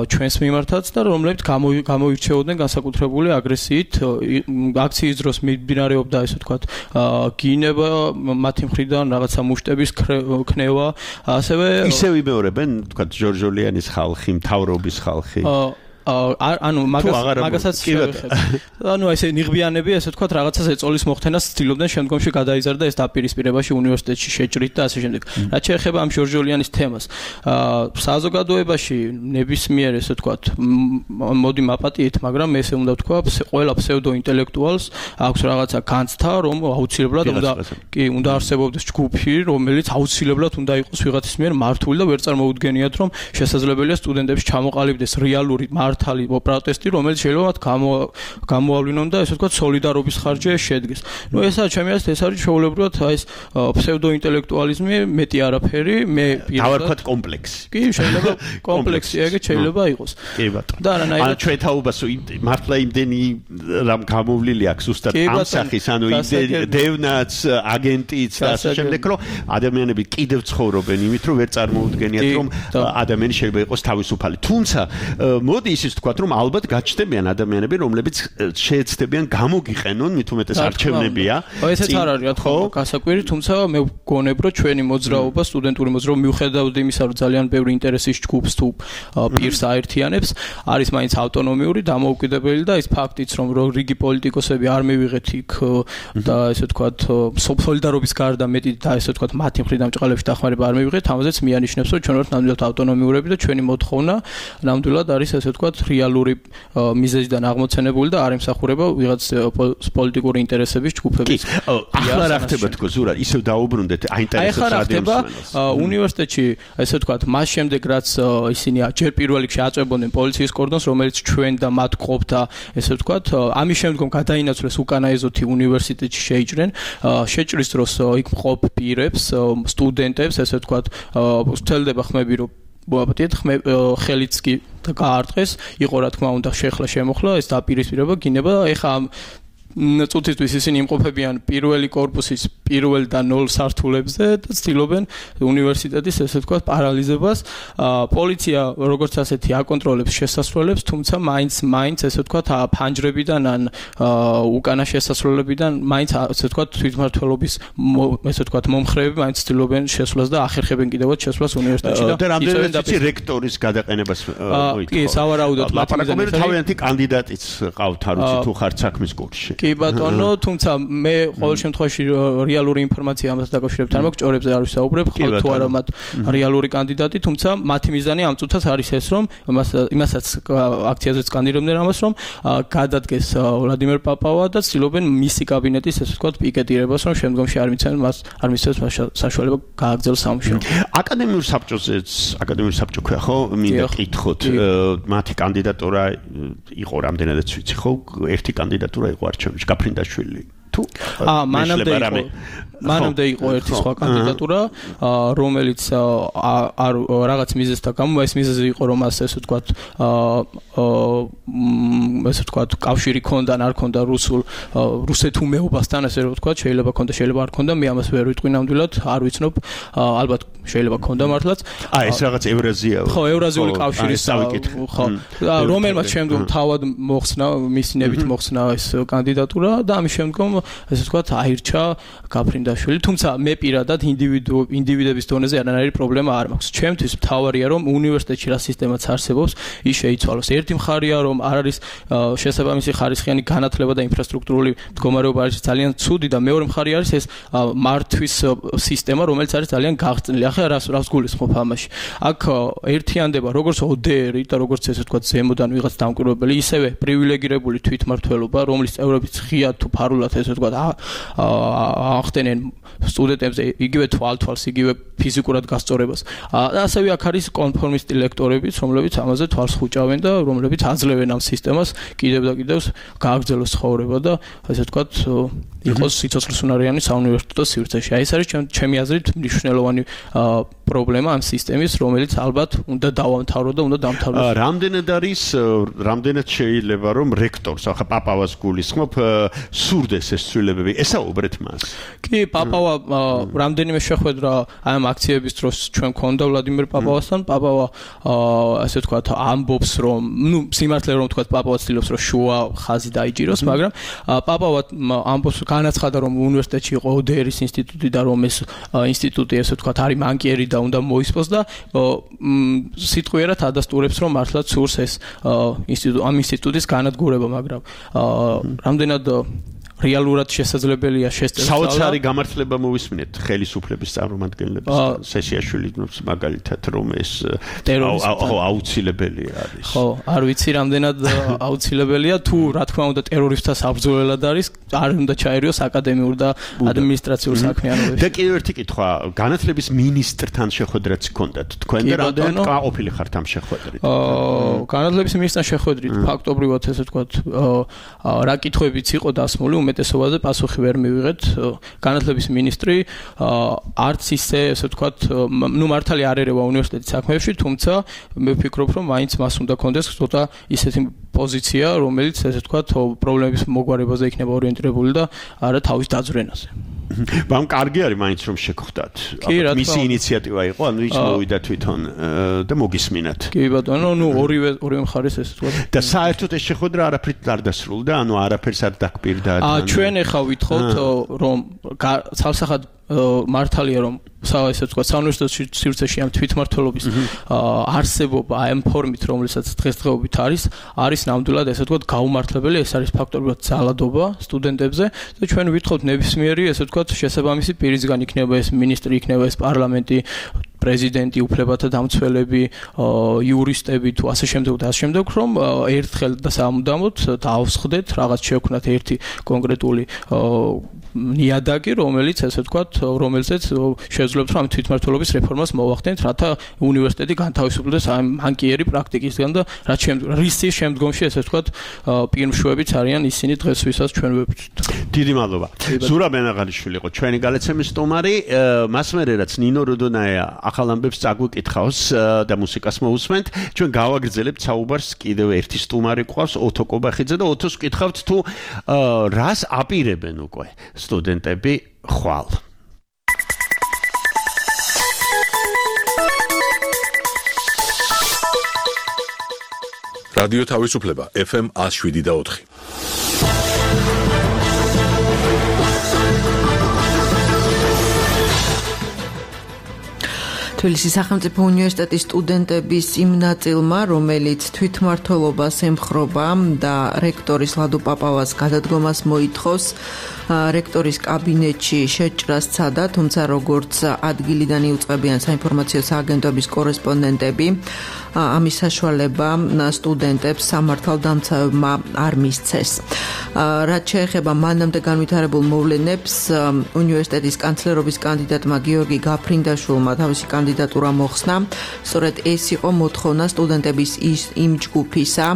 ჩვენს მიმართაც და რომლებიც გამოირჩეოდნენ განსაკუთრებული აგრესიით. აქციის დროს მიმდინარეობდა ესე ვთქვათ გინება მათი მხრიდან, რაღაცა მუშტების ქნევა, ასევე ისევ იმეორებენ ვთქვათ ჯორჯოლიანის ხალხი, მთავრობის ხალხი. მაგასაც შევეხებ. ესე ნიღბიანები, ესე ვთქვათ, რაღაცას ეწოლის მოხდენას ცდილობდნენ, შემდგომში გადაიზარდა ეს დაპირისპირებაში უნივერსიტეტში შეჭრით და ასე შემდეგ. რაც შეეხება ამ ჯორჯოლიანის თემას, საზოგადოებაში ნებისმიერ, ესე ვთქვათ, მოდი მაპატიეთ, მაგრამ ესე უნდა ვთქვა, ყველა ფსევდოინტელექტუალს აქვს რაღაცა განცდა, რომ აუცილებლად უნდა არსებობდეს ჯგუფი, რომელიც აუცილებლად უნდა იყოს ვიღაცის მიერ მართული და ვერ წარმოუდგენიათ, რომ შესაძლებელია სტუდენტებში ჩამოყალიბდეს რეალური მართალი პროტესტი, რომელიც შეიძლება მათ გამოავლინონ და ესე ვთქვათ სოლიდარობის ხარჯზე შედგეს. ესაა ჩემი აზრით, ეს არის ჩვეულებრივად ეს ფსევდოინტელექტუალიზმი, მეტი არაფერი, მე დავარქვათ კომპლექსი. კი, შეიძლება კომპლექსი ეგეც შეიძლება იყოს. კი ბატონო. და არანაირად ჩვენ თაობას მართლა იმდენი რამ გამოვლილი აქვს ზუსტად ამ სახის, დევნაც, აგენტიც და ასე შემდეგ, რომ ადამიანები კიდევ ცხოვრობენ იმით, რომ ვერ წარმოუდგენიათ, რომ ადამიანი შეიძლება იყოს თავისუფალი. თუმცა მოდი ისიც ვთქვათ, რომ ალბათ გაჩნდებიან ადამიანები, რომლებიც შეეცდებიან გამოგიყენონ, მით უმეტეს არჩევნებია. ესეც არ არის, რა თქმა უნდა, გასაკვირი, თუმცა მე ვგონებ, რომ ჩვენი მოძრაობა, სტუდენტური მოძრაობა, მიუხედავად იმისა, რომ ძალიან ბევრი ინტერესის ჯგუფს თუ პირს აერთიანებს, არის მაინც ავტონომიური, დამოუკიდებელი და ის ფაქტიც, რომ რიგი პოლიტიკოსები არ მივიღეთ იქ და ესე ვთქვათ, სოლიდარობის გარდა მეტი და ესე ვთქვათ, მათი მხრიდან ჭყალებში დახმარება არ მივიღეთ, ამაზეც მიანიშნებს, რომ ჩვენ ვართ ნამდვილად ავტონომიურები და ჩვენი მოთხოვნა ნამდვილად არის ესე ვთქვათ, რეალური მიზეზიდან აღმოცენებული და არ ემსახურება ვიღაც პოლიტიკური ინტერესების ჯგუფების. ახლა რა ხდება თქო ზურა, ისევ დაუბრუნდეთ აინტერესებს რადიოს უნივერსიტეტში, ესე ვთქვათ, მას შემდეგ რაც ისინი ჯერ პირველ რიგში აწვევდნენ პოლიციის კორდონს, რომელიც ჩვენ და მათ ყოფდა, ესე ვთქვათ, ამის შემდგომ გადაინაცვლეს უკანა ეზოთი უნივერსიტეტში შეიჭრენ. შეჭრის დროს იქ მყოფ პირებს, სტუდენტებს, ესე ვთქვათ, სცელდება ხმები, რომ მოაპატიეთ ხელიც კი გაარტყეს, იყო რა თქმა უნდა შეხლა შემოხლა, ეს დაპირისპირება გინება, ეხა წუთისთვის ისინი იმყოფებიან პირველი კორპუსის პირველ და 0 სართულებზე და ცდილობენ უნივერსიტეტის ესე ვთქვათ პარალიზებას. პოლიცია როგორც ასეთი აკონტროლებს შესასვლელებს, თუმცა მაინც ესე ვთქვათ ფანჯრებიდან ან უკანა შესასვლელებიდან მაინც ესე ვთქვათ თვითმმართველობის ესე ვთქვათ მომხრეები მაინც ცდილობენ შესვლას და ახერხებენ კიდევაც შესვლას უნივერსიტეტში და რამდენადაც რექტორის გადაყენებას კი, სავარაუდოდ ლაპარაკობენ თავიანთი კანდიდატიც ყავთ, არ ვიცი თუ ხართ საქმის კურსში. კი ბატონო, თუმცა მე ყოველ შემთხვევაში რეალური ინფორმაცია ამას დაკავშირებით არ მაქვს, ჭორებზე არ ვისაუბრებ, ხალხ თუ არა მათ რეალური კანდიდატი, თუმცა მათი მიზანი ამ წუთას არის ეს, რომ იმასაც აქციაზეც კანდიდატობდნენ ამას, რომ გადადგეს ვლადიმერ პაპავა და ცდილობენ მისი კაბინეტის ესე ვთქვათ პიკეტირებას, რომ შემდგომში არ მისცემს საშუალება გააგრძელოს სამუშაო. აკადემიურ საბჭო ქვია ხო? მინდა კითხოთ, მათი კანდიდატურა იყო რამდენადაც ვიცი ხო? ერთი კანდიდატურა იყო არჩევნებში, გაფრინდაშვილი. თუ მანამდე იყო ერთი სხვა კანდიდატურა, რომელიც რაღაც მიზეზთა გამო, ეს მიზეზი იყო, რომ ასე ვთქვათ, კავშირი ქონდა, არ ქონდა რუსეთ უმეობასთან, ასე რომ ვთქვათ, შეიძლება ქონდა, შეიძლება არ ქონდა, მე ამას ვერ ვიტყვი ნამდვილად, არ ვიცნობ, ალბათ შეიძლება ქონდა მართლაც. ეს რაღაც ევრაზია. ხო, ევრაზიული კავშირის ხო, რომელმაც შემდგომ თავად მოხსნა, მისი ნებით მოხსნა ეს კანდიდატურა და ამის შემდგომ ესე ვთქვათ, აირჩა გაფრინდაშვილი, თუმცა მე პირადად ინდივიდების დონეზე არანაირი პრობლემა არ მაქვს. ჩემთვის მთავარია, რომ უნივერსიტეტში რა სისტემაც არსებობს, ის შეიცვალოს. ერთი მხარია, რომ არ არის შესაბამისი ხარისხიანი განათლება და ინფრასტრუქტურული მდგომარეობა არის ძალიან ცუდი და მეორე მხარე არის ეს მართვის სისტემა, რომელიც არის ძალიან გაღწნილი. ახლა რას გულისხმობ ამაში? აქ ერთიანდება როგორც ODR-ი და როგორც ესე ვთქვათ, ზემოდან ვიღაც დამკვირვებელი, ისევე პრივილეგირებული თვითმმართველობა, რომლის წევრებიც ღიად თუ ფარულად ესე ვთქვათ, ახდენენ სტუდენტებზე იგივე თვალს, იგივე ფიზიკურად გასწორებას. და ასევე აქ არის კონფორმისტი ლექტორებიც, რომლებიც ამაზე თვალს ხუჭავენ და რომლებიც აძლევენ ამ სისტემას კიდევ და კიდევ გააგრძელოს ცხოვრება და ესე ვთქვათ, იყოს სიცოცხლისუნარიანი საუნივერსიტეტო სივრცეში. აი ეს არის ჩემი აზრით მნიშვნელოვანი პრობლემა ამ სისტემის, რომელიც ალბათ უნდა დავამთავრო და უნდა დამთავრდეს. რამდენად შეიძლება რომ რექტორს, ახლა პაპავას გულისხმობ, სურდეს ეს ცვლილებები, ესაუბრეთ მას. კი, პაპავა რამდენიმე შეხვედრა აი ამ აქციების დროს ჩვენ გქონდა ვლადიმერ პაპავასთან. პაპავა ასე ვთქვათ, ამბობს რომ, სიმართლე რომ ვთქვათ, პაპავა ცდილობს რომ შუა ხაზი დაიჭიროს, მაგრამ პაპავა ამბობს, განაცხადა რომ უნივერსიტეტში იყო ODR-ის ინსტიტუტი და რომ ეს ინსტიტუტი ესე ვთქვათ, არის მანკიერი და უნდა მოისპოს და სიტყვიერად ადასტურებს რომ მართლაც სურს ეს ამ ინსტიტუტის განადგურება, მაგრამ რამდენად რეალურად შესაძლებელია შესწავლა. საოცარი გამართლება მოვისმინეთ ხელისუფლების წარმომადგენლების სესიაშვილის მაგალითად რომ ეს აუცილებელი არის. ხო, არ ვიცი რამდენად აუცილებელია, თუ რა თქმა უნდა ტერორისტთა საბრძოლველად არის, არ უნდა ჩაერიოს აკადემიურ და ადმინისტრაციულ საქმიანობაში. და კიდევ ერთი კითხვა, განათლების მინისტრთან შეხვედრაც გქონდათ თქვენ და რამდენად ყოფილი ხართ ამ შეხვედრით? განათლების მინისტრთან შეხვედრით ფაქტობრივად ესე ვთქვათ, რა კითხვებიც იყო დასმული, უმეტესობაზე პასუხი ვერ მივიღეთ. განათლების მინისტრი არც ისე ესე ვთქვათ, მართალი არ ერევა უნივერსიტეტის საქმეებში, თუმცა მე ვფიქრობ, რომ მაინც მას უნდა კონდეს ცოტა ისეთი პოზიცია, რომელიც ესე ვთქვათ, პრობლემების მოგვარებაზე იქნება ორიენტირებული და არა თავის დაძვრენაზე. მაგრამ კარგი არის მაინც რომ შეგხვდათ. მისი ინიციატივა იყო, ანუ ის მოვიდა თვითონ და მოგისმინათ. კი ბატონო, ორივე მხარეს ესე ვთქვათ. და საერთოდ ეს შეხვედრა არაფრით არ დასრულდა, ანუ არაფერს არ დაგპირდა. ჩვენ ახლა ვითხოვთ, რომ ცალსახად მართალია რომ ესე ვთქვათ, საუნივერსიტეტო სივრცეში ამ თვითმმართველობის არსებობა ამ ფორმით, რომელსაც დღესდღეობით არის ნამდვილად ესე ვთქვათ გაუმართლებელი, ეს არის ფაქტობრივად ძალადობა სტუდენტებზე და ჩვენ ვითხოვთ ნებისმიერი ესე ვთქვათ შესაბამისი პირისგან იქნება ეს მინისტრი, იქნება ეს პარლამენტი, პრეზიდენტი, უფლებათა დამცველები, იურისტები თუ ასე შემდეგ, რომ ერთხელ და სამუდამოდ დაავსხდეთ, რაღაც შევქნათ ერთი კონკრეტული ნიადაგი, რომელიც ესე ვთქვათ, რომელზეც შეძლებთ რომ თვითმმართველობის რეფორმას მოვახდენთ, რათა უნივერსიტეტი განთავისუფლდეს ამ მანკიერი პრაქტიკისგან და რის შემდგომში ესე ვთქვათ, პირმშვებიც არიან ისინი დღეს ვისაც ჩვენ ვებჭვით. დიდი მადლობა. ზურაბ ბენაღალიშვილი იყო ჩვენი გალეცემის სტუმარი, მას მერე რაც ნინო როდონაია ახალ ამბებს წაგვიკითხავს და მუსიკას მოусმენთ, ჩვენ გავაგრძელებთ საუბარს კიდევ ერთი სტუმარი ყავს, ოთო კობახიძე და ოთოს ვკითხავთ თუ რას აპირებენ უკვე სტუდენტები ხვალ. რადიო თავისუფლება FM 107.4. თბილისის სახელმწიფო უნივერსიტეტის სტუდენტების იმ ნაწილმა, რომელიც თვითმმართველობას ემხრობა და რექტორის ლადო პაპავას გადადგომას მოითხოვს, რექტორის კაბინეტში შეჭრას სცადა, თუმცა როგორც ადგილიდან იუწყებიან საინფორმაციო სააგენტოების კორესპონდენტები, ამის საშუალება სტუდენტებს სამართალდამცავებმა არ მისცეს. რაც შეეხება მანამდე განვითარებულ მოვლენებს, უნივერსიტეტის კანცლერობის კანდიდატმა გიორგი გაფრინდაშვილმა თავისი კანდიდატურა მოხსნა. სწორედ ეს იყო მოთხოვნა სტუდენტების იმ ჯგუფისა,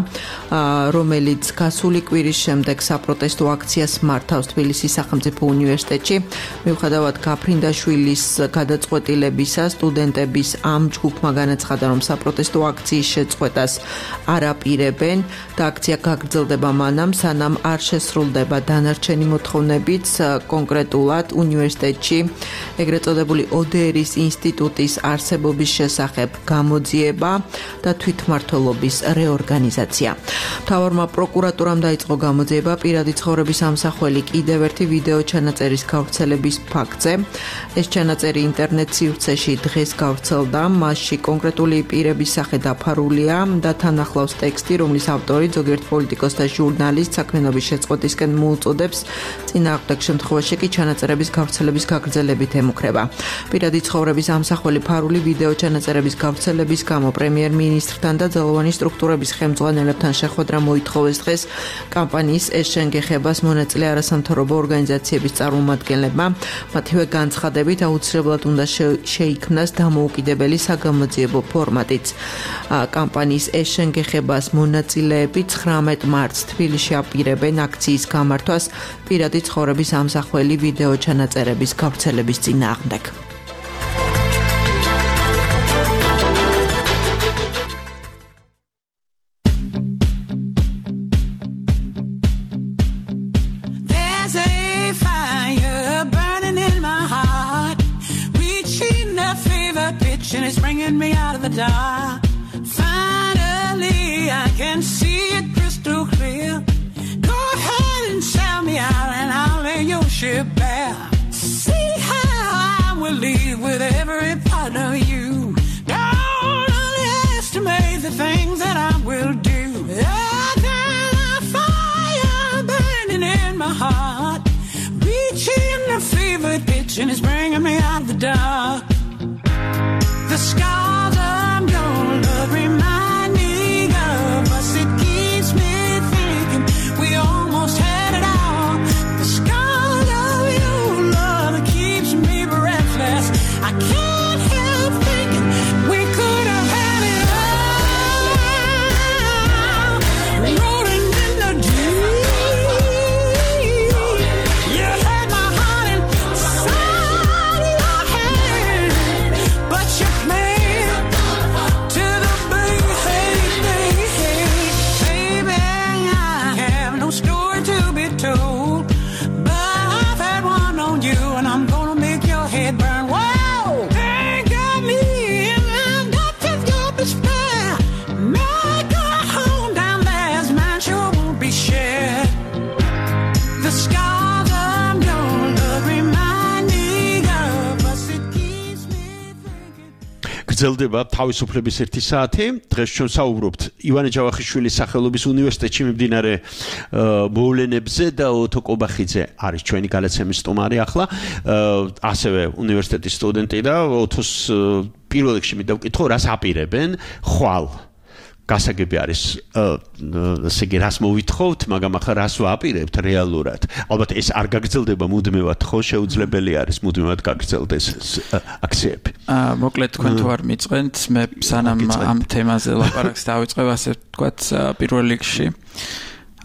რომელიც გასული კვირის შემდეგ საპროტესტო აქციას მართავს თბილისის სახელმწიფო უნივერსიტეტში. მიუხედავად გაფრინდაშვილის გადაწყვეტილებისა, სტუდენტების ამ ჯგუფმა განაცხადა, რომ საპროტესტო აქციის შეწყვეტას არ აპირებენ და აქცია გაგრძელდება მანამ, სანამ არ შესრულდება დანარჩენი მოთხოვნებიც, კონკრეტულად უნივერსიტეტში ეგრეთ წოდებული ODR-ის ინსტიტუტის არსებობის შესახებ გამოძიება და თვითმმართველობის რეორგანიზაცია. მთავარმა პროკურატურამ დაიწყო გამოძიება პირადი ცხოვრების ამსახველი კიდევ ერთი ვიდეო ჩანაწერის გავრცელების ფაქტზე. ეს ჩანაწერი ინტერნეტ სივრცეში დღეს გავრცელდა, მასში კონკრეტული პირების სახე დაფარულია და თან ახლავს ტექსტი, რომლის ავტორი ზოგიერთ პოლიტიკოსს და ჟურნალისტს საქმიანობის შეწყვეტისკენ მოუწოდებს, წინააღმდეგ შემთხვევაში კი ჩანაწერების გავრცელების გაგრძელებით ემუქრება. პირადი ცხოვრების ამსახველი ფარული ვიდეო ჩანაწერების გავრცელების გამო პრემიერ-მინისტრთან და ძალოვანი სტრუქტურების ხელმძღვანელებთან შეხვედრა მოითხოვეს დღეს კამპანიის ეს შენგეხებას მონაწილე არასამთავრობო ორგანიზაციების წარმომადგენლებმა. მათივე განცხადებით აუცილებლად უნდა შეიქმნას დამოუკიდებელი საგამოძიებო ფორმატიც. კამპანიის ეს შენგეხებას მონაწილეები 19 მარტს თბილისში აპირებენ აქციის გამართვას პირადი ცხოვრების ამსახველი ვიდეო ჩანაწერების გავრცელების წინააღმდეგ. It's bringing me out of the dark. Finally, I can see it crystal clear. Go ahead and sell me out, and I'll lay your ship bare. See how I will leave with every part of you. Don't underestimate the things that I will do. I've got a fire burning in my heart, reaching a fever pitch, and it's bringing me out of the dark. The scars of your love remind me of us. It keeps me thinking we almost had it all. The scars of your love keeps me breathless. I can't help thinking we could have had it all. Rolling in the deep, you had my heart inside your hand, but you გრძელდება თავისუფლების 1 საათი. დღეს ჩვენ საუბრობთ ივანე ჯავახიშვილის სახელობის უნივერსიტეტში მიმდინარე მოვლენებზე და ოთო კობახიძე არის ჩვენი გადაცემის სტუმარი ახლა. ასევე უნივერსიტეტის სტუდენტი და ოთოს პირველ რიგში მინდა ვკითხო, რას აპირებენ ხვალ. გასაგები არის ესე იგი რას მოვითხოვთ, მაგრამ ახლა რას ვაპირებთ რეალურად. ალბათ ეს არ გაგრძელდება მუდმივად, ხო, შეუძლებელი არის მუდმივად გაგრძელდეს აქციები. მოკლედ თქვენ თუ არ მიწყენთ, მე სანამ ამ თემაზე ლაპარაკს დავიწყებ, ასე ვთქვათ, პირველ რიგში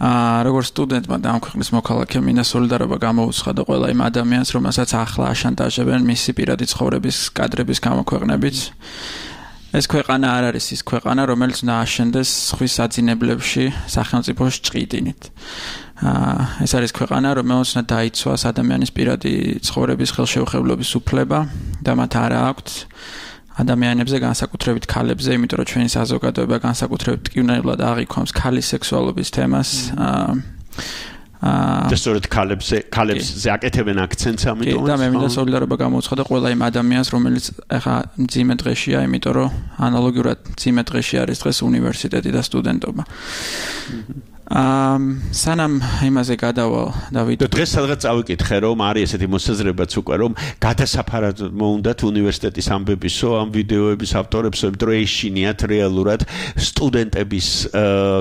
როგორც სტუდენტმა და ამ ქვეყნის მოქალაქემ მინდა სოლიდარობა გამოუცხადა ყველა იმ ადამიანს, რომელსაც ახლა აშანტაჟებენ მისი პირადი ცხოვრების კადრების გამოქვეყნებით. ეს ქვეყანა არ არის ის ქვეყანა, რომელიც უნდა აშენდეს ხვის საძინებლებში სახელმწიფოს ჭყიდინით. ეს არის ქვეყანა, რომელიც უნდა დაიცვას ადამიანის პირადი ცხოვრების ხელშეუხებლობის უფლება და მათ არ აქვთ ადამიანებზე, განსაკუთრებით ქალებზე, იმიტომ რომ ჩვენი საზოგადოება განსაკუთრებით ტკივნეულად აღიქვამს ქალის სექსუალობის თემას. და სწორედ ქალებსზე აკეთებენ აქცენტს ამიტომ და მე მინდა სოლიდარობა გამოუცხადა ყველა იმ ადამიანს რომელიც ახლა მძიმე დღეშია იმიტომ რომ ანალოგიურად მძიმე დღეში არის დღეს უნივერსიტეტი და სტუდენტობა სანამ იმაზე გადავალ დავით დღეს სადღაც წავიკითხე რომ არის ესეთი მოსაზრებაც უკვე რომ გადასაფარად მოუნდათ უნივერსიტეტის ამბებისო ამ ვიდეოების ავტორებს რომ ეშინიათ რეალურად სტუდენტების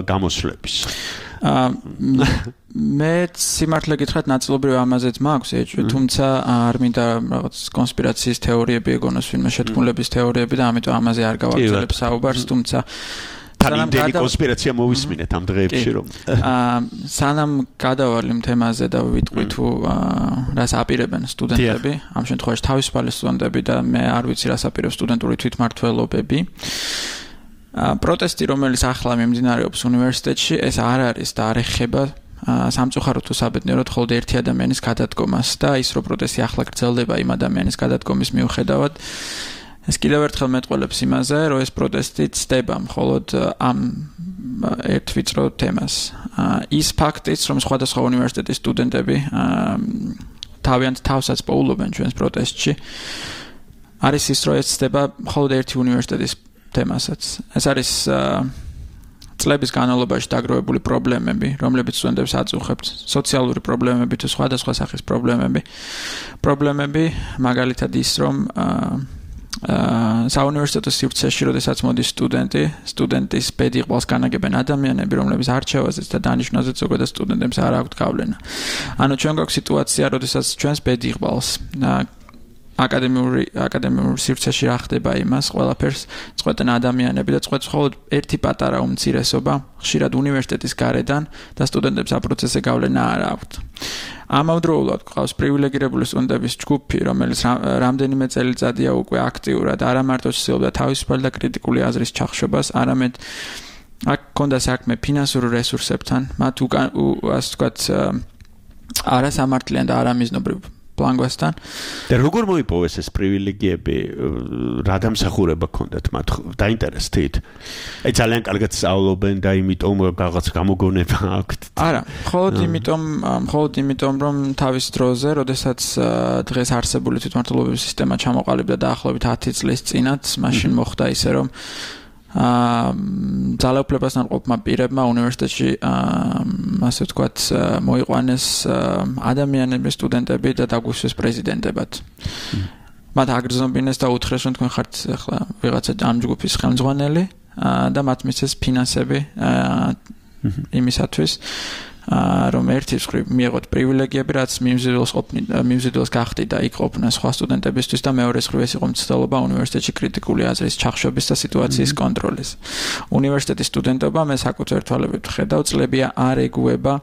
გამოსვლების მე სიმართლე გითხრათ ნაწილობრივ ამაზეც მაქვს ეჭვი თუმცა არ მინდა რაღაც კონსპირაციის თეორიები ეგონოს ვინმე შეთქმულების თეორიები და ამიტომ ამაზე არ გავაგრძელებ საუბარს თუმცა თანამდელი კონსპირაცია მოვისმინეთ ამ დღეებში რომ სანამ გადავალ იმ თემაზე და ვიტყვი თუ რას აპირებენ სტუდენტები ამ შემთხვევაში თავისუფალი სტუდენტები და მე არ ვიცი რას აპირებს სტუდენტური თვითმმართველობები პროტესტი რომელიც ახლა მიმდინარეობს უნივერსიტეტში ეს არ არის და არ ეხება სამწუხაროდ თუ საბედნიეროდ მხოლოდ ერთი ადამიანის გადადგომას და ის რომ პროტესტი ახლა გრძელდება იმ ადამიანის გადადგომის მიუხედავად ეს კიდევ ერთხელ მეტყველებს იმაზე, რომ ეს პროტესტი ცდება მხოლოდ ამ ერთ ვიწრო თემას. ის ფაქტიც, რომ სხვადასხვა უნივერსიტეტის სტუდენტები თავიანთ თავსაც პოულობენ ჩვენს პროტესტში, არის ის, რომ ეს ცდება მხოლოდ ერთი უნივერსიტეტის თემასაც. ეს არის წლების განმავლობაში დაგროვებული პრობლემები, რომლებიც სტუდენტებს აწუხებთ, სოციალური პრობლემები თუ სხვადასხვა სახის პრობლემები, მაგალითად ის, რომ საუნივერსიტეტო სივრცეში, როდესაც მოდის სტუდენტის ბედიღბალს განაგებენ ადამიანები, რომლებიც არჩევაზეც და დანიშვნაზეც ზოგადად სტუდენტებს არ აქვთ გავლენა. ანუ ჩვენ გვაქვს სიტუაცია, როდესაც ჩვენს ბედიღბალს აკადემიურ სივრცეში რა ხდება იმას, ყველაფერს წყვეტენ ადამიანები და წყვეტს მხოლოდ ერთი პატარა უმცირესობა, ხშირად უნივერსიტეტის გარედან და სტუდენტებს ამ პროცესზე გავლენა არ აქვთ. ამავდროულად გვყავს პრივილეგირებული სტუდენტების ჯგუფი, რომელიც რამდენიმე წელიწადია უკვე აქტიურად არა მარტო ცდილობდა თავისუფალი და კრიტიკული აზრის ჩახშობას, არამედ აქ ქონდა საქმე ფინანსურ რესურსებთან, მათ ასე ვთქვათ არასამართლიან და არამიზნობრივ პლანგვასთან. და როგორ მოიპოვეს ეს პრივილეგიები, რა დამსახურება ჰქონდათ მათ? დაინტერესდით? აი ძალიან კარგად სწავლობენ და იმიტომ რაღაც გამოგონება აქვთ. არა, მხოლოდ იმიტომ, რომ თავის დროზე, როდესაც დღეს არსებული თვითმმართველობის სისტემა ჩამოყალიბდა დაახლოებით 10 წლის წინათ, მაშინ მოხდა ისე, რომ ძალაუფლებასთან ყოფმა პირებმა უნივერსიტეტში ასე ვთქვათ მოიყვანეს ადამიანები, სტუდენტები და დაგვისვეს პრეზიდენტებად. მათ აგრძნობინეს და უთხრეს, რომ თქვენ ხართ ახლა ვიღაცა ამ ჯგუფის ხელმძღვანელი და მათ მისცეს ფინანსები იმისათვის რომ ერთის მხრივ მიიღოთ პრივილეგიები, რაც მიმზიდველს გახდით და იქ ყოფნა სხვა სტუდენტებისთვის და მეორეს მხრივ ეს იყო მცდელობა უნივერსიტეტში კრიტიკული აზრის ჩახშობის და სიტუაციის კონტროლის. უნივერსიტეტის სტუდენტობა მე საკუთარ თვალებით ვხედავ, წლებია არ ეგუება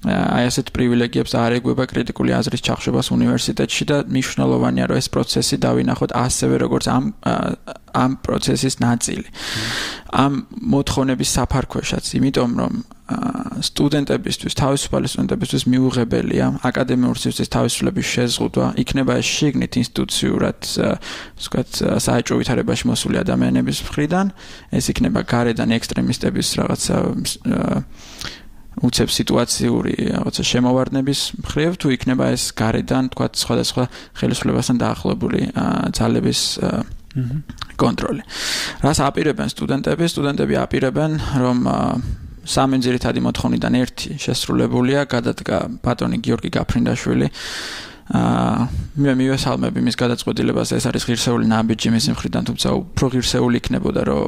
აი ასეთ პრივილეგიებს არ ეგუება კრიტიკული აზრის ჩახშობას უნივერსიტეტში და მნიშვნელოვანია რომ ეს პროცესი დავინახოთ ასევე როგორც ამ პროცესის ნაწილი. ამ მოთხოვნების საფარქვეშაც, იმიტომ რომ სტუდენტებისთვის, თავისუფალი სტუდენტებისთვის მიუღებელია აკადემიური სივრცის თავისუფლების შეზღუდვა, იქნება ეს შიგნით ინსტიტუციურად, ვთქვათ, საეჭვო ვითარებაში მოსული ადამიანების მხრიდან, ეს იქნება გარედან ექსტრემისტების რაღაცა უცებ სიტუაციური რაღაცა შემოვარდნების მხრივ თუ იქნება ეს გარედან, თქვათ, სხვადასხვა ხელისუფლებასთან დაახლოებული ძალების კონტროლი. რას აპირებენ სტუდენტები? სტუდენტები აპირებენ, რომ სამი ძირითადი მოთხოვნიდან ერთი შესრულებულია, გადადგა ბატონი გიორგი გაფრინდაშვილი. მე მივესალმები მის გადაწყვეტილებას, ეს არის ღირსეული ნაბიჯი მის მხრიდან, თუმცა უფრო ღირსეული იქნებოდა, რომ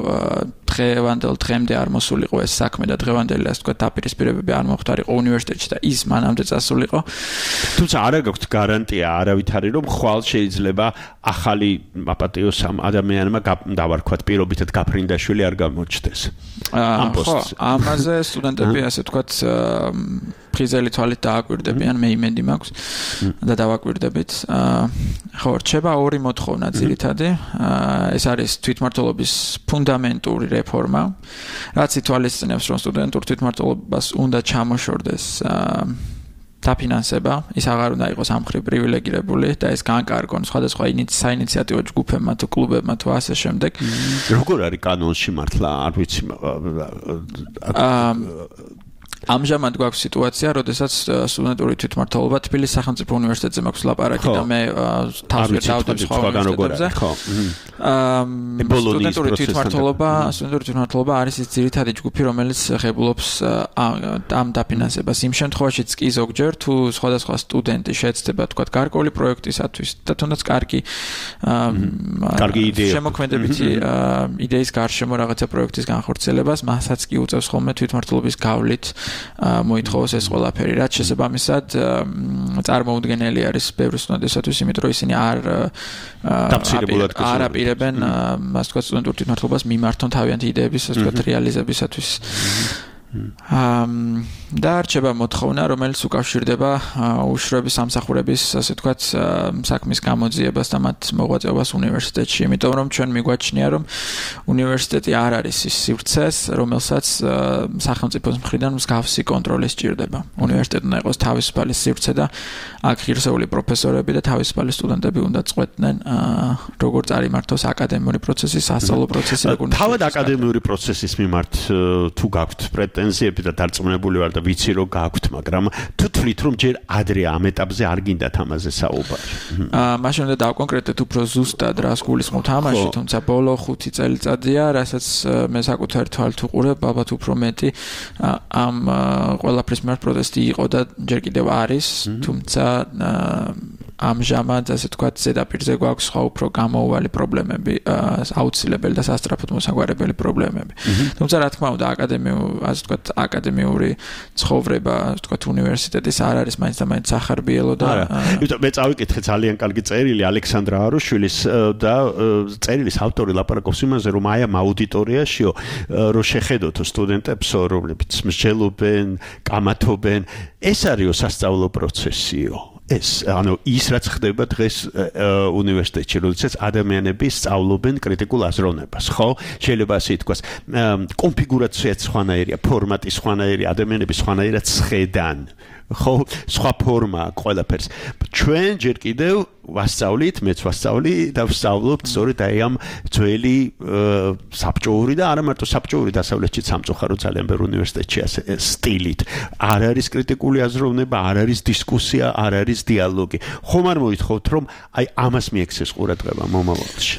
დღევანდელ დღემდე არ მოსულიყო ეს საქმე და დღევანდელი ასე ვთქვათ დაპირისპირებები არ მოხდარიყო უნივერსიტეტში და ის მანამდე წასულიყო. თუმცა არა გაქვთ გარანტია არავითარი, რომ ხვალ შეიძლება ახალი აპატიოს ამ ადამიანმა დავარქვათ პირობითად გაფრინდაშვილი არ გამოჩნდეს. ამ პოსტზე. ამაზე სტუდენტები ასე ვთქვათ ფრიზელი თვალით დააკვირდებიან, მე იმედი მაქვს და დავაკვირდებით. ხო, რჩება ორი მოთხოვნა ძირითადი. ეს არის თვითმმართველობის ფუნდამენტური რეფორმა, რაც ითვალისწინებს, რომ სტუდენტურ თვითმმართველობას უნდა ჩამოშორდეს დაფინანსება, ის აღარ უნდა იყოს ამ მხრივ პრივილეგირებული და ეს განკარგონ სხვადასხვა საინიციატივო ჯგუფებმა თუ კლუბებმა თუ ასე შემდეგ. როგორ არის კანონში მართლა, არ ვიცი. ამჟამად გვაქვს სიტუაცია, როდესაც სტუდენტური თვითმმართველობა თბილისის სახელმწიფო უნივერსიტეტზე მაქვს ლაპარაკი და მე თავს ვერ დავდებ სხვა უნივერსიტეტებზე. სტუდენტური თვითმმართველობა არის ის ძირითადი ჯგუფი, რომელიც ღებულობს ამ დაფინანსებას. იმ შემთხვევაშიც კი ზოგჯერ თუ სხვადასხვა სტუდენტი შეეცდება თქვა გარკვეული პროექტისათვის და თუნდაც კარგი იდეა შემოქმედებითი იდეის გარშემო რაღაცა პროექტის განხორციელებას, მასაც კი უწევს ხოლმე თვითმმართველობის გავლით მოითხოვოს ეს ყველაფერი, რაც შესაბამისად წარმოუდგენელი არის ბევრი სტუდენტისათვის, იმიტომ რომ ისინი არ აპირებენ ასე ვთქვათ სტუდენტურ თვითმმართველობას მიმართონ თავიანთი იდეების ასე ვთქვათ რეალიზებისათვის. და არჩება მოთხოვნა, რომელიც უკავშირდება უშუალოდ სამსახურების, ასე ვთქვათ, საქმის გამოძიებას და მათ მოღვაწეობას უნივერსიტეტში, იმიტომ რომ ჩვენ მიგვაჩნია, რომ უნივერსიტეტი არ არის ის სივრცეს, რომელსაც სახელმწიფოს მხრიდან მსგავსი კონტროლი სჭირდება. უნივერსიტეტი უნდა იყოს თავისუფალი სივრცე და აქ ღირსეული პროფესორები და თავისუფალი სტუდენტები უნდა წყვეტდნენ, როგორ წარიმართოს აკადემიური პროცესი, სასწავლო პროცესი, როგორ თავად აკადემიური პროცესის მიმართ თუ გაქვთ პრეტენზიები და დარწმუნებული ვარ და ვიცი რომ გაქვთ, მაგრამ თუ თვლით რომ ჯერ ადრე ამ ეტაპზე არ გინდათ ამაზე საუბარი. მაშინ უნდა დავკონკრეტეთ უფრო ზუსტად რას გულისხმობთ ამაში, თუმცა ბოლო 5 წელიწადია, რასაც მე საკუთარი თვალით ვუყურებ, ალბათ უფრო მეტი ამ ყველაფრის მიმართ პროტესტი იყო და ჯერ კიდევ არის, თუმცა ამჟამად ასე ვთქვათ ზედაპირზე გვაქვს სხვა უფრო გამოუვალი პრობლემები, აუცილებელი და სასწრაფოდ მოსაგვარებელი პრობლემები. თუმცა რა თქმა უნდა ასე ვთქვათ აკადემიური ცხოვრება, ასე ვთქვათ უნივერსიტეტის არ არის მაინც და მაინც სახარბიელო და მე წავიკითხე ძალიან კარგი წერილი ალექსანდრა არუშვილის და წერილის ავტორი ლაპარაკობს იმაზე, რომ აი ამ აუდიტორიაშიო რომ შეხედოთო სტუდენტებსო, რომლებიც მსჯელობენ, კამათობენ, ეს არისო სასწავლო პროცესიო. ანუ ის რაც ხდება დღეს უნივერსიტეტში, როდესაც ადამიანები სწავლობენ კრიტიკულ აზროვნებას, ხო? შეიძლება ასე ითქვას, კონფიგურაციაც სხვანაირია, ფორმატი სხვანაირია, ადამიანები სხვანაირად სხედან. ხო, სხვა ფორმა ყველაფერს. ჩვენ ჯერ კიდევ ვასწავლით, მეც ვასწავლი და ვსწავლობთ სწორედ აი ამ ძველი საბჭოური და არა მარტო საბჭოური დასავლეთში სამწუხარო ძალიან ბევრ უნივერსიტეტში ასე სტილით. არ არის კრიტიკული აზროვნება, არ არის დისკუსია, არ არის დიალოგი. ხომ არ მოითხოვთ რომ აი ამას მიექცეს ყურადღება მომავალში?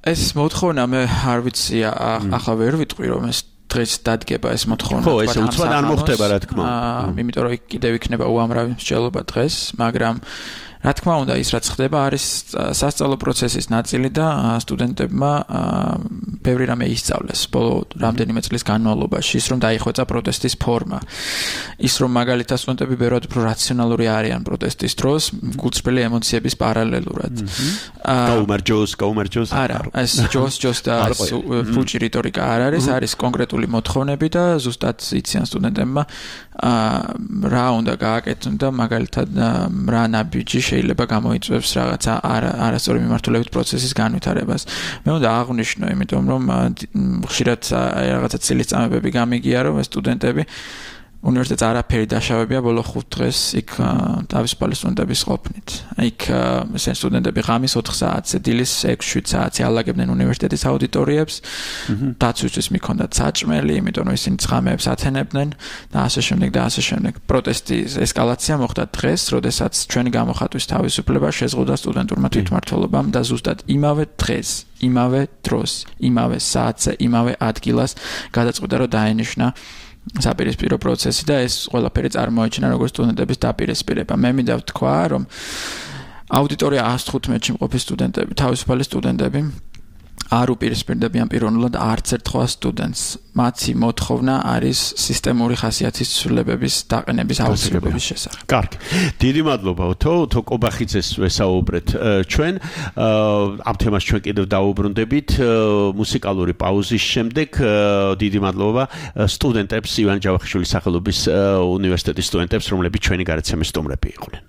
ეს მოთხოვნა მე არ ვიცი, ახლა ვერ ვიტყვი რომ ეს დღეს დადგება ეს მოთხოვნა. ხო, ეს უცბად არ მოხდება რა თქმა უნდა. იმიტომ რომ კიდევ იქნება უამრავი მსჯელობა დღეს, მაგრამ რა თქმა უნდა ის რაც ხდება არის სასწავლო პროცესის ნაწილი და სტუდენტებმა ბევრი რამე ისწავლეს ბოლო რამდენიმე წლის განმავლობაში, ის რომ დაიხვეწა პროტესტის ფორმა. ის რომ მაგალითად სტუდენტები ბევრად უფრო რაციონალური არიან პროტესტის დროს, გულწრფელი ემოციების პარალელურად. გაუმარჯოს. არა, ეს ჯოს და ფუჭი რიტორიკა არ არის კონკრეტული მოთხოვნები და ზუსტად იციან სტუდენტებმა რა უნდა გააკეთონ და მაგალითად რა ნაბიჯი შეიძლება გამოიწვევს რაღაცა არასწორი მიმართულებით პროცესის განვითარებას. მე უნდა აღვნიშნო, იმიტომ რომ ხშირად რაღაცა ცილისწამებები გამიგია, რომ სტუდენტები უნივერსიტეტს არაფერი დაშავებია ბოლო 5 დღეს იქ თავისუფალი სტუდენტების ყოფნით. იქ სტუდენტები ღამის 4 საათზე, დილის 6-7 საათზე ალაგებდნენ უნივერსიტეტის აუდიტორიებს. დაცვისთვის მიქონდათ საჭმელი, იმიტომ რომ ისინი ცხამეებს ათენებდნენ და ასე შემდეგ და ასე შემდეგ. პროტესტის ესკალაცია მოხდა დღეს, როდესაც ჩვენი გამოხატვის თავისუფლება შეზღუდვა სტუდენტურმა თვითმმართველობამ და ზუსტად იმავე დღეს, იმავე დროს, იმავე საათზე, იმავე ადგილას გადაწყვიტა რომ დაენიშნა საპირისპირო პროცესი და ეს ყველაფერი წარმოაჩინა როგორც სტუდენტების დაპირისპირება. მე მინდა ვთქვა, რომ აუდიტორია 115-ში მყოფი სტუდენტები, თავისუფალი სტუდენტები არ უპირისპირდებიან პიროვნულად არც ერთ სხვა სტუდენტს. მათი მოთხოვნა არის სისტემური ხასიათის ცვლილებების დაყენების აუცილებლობის შესახებ. კარგი. დიდი მადლობა თო კობახიძეს ვესაუბრეთ ჩვენ. ამ თემას ჩვენ კიდევ დაუბრუნდებით მუსიკალური პაუზის შემდეგ. დიდი მადლობა სტუდენტებს, ივან ჯავახიშვილის სახელობის უნივერსიტეტის სტუდენტებს, რომლებიც ჩვენი გარეთ სტუმრები იყვნენ.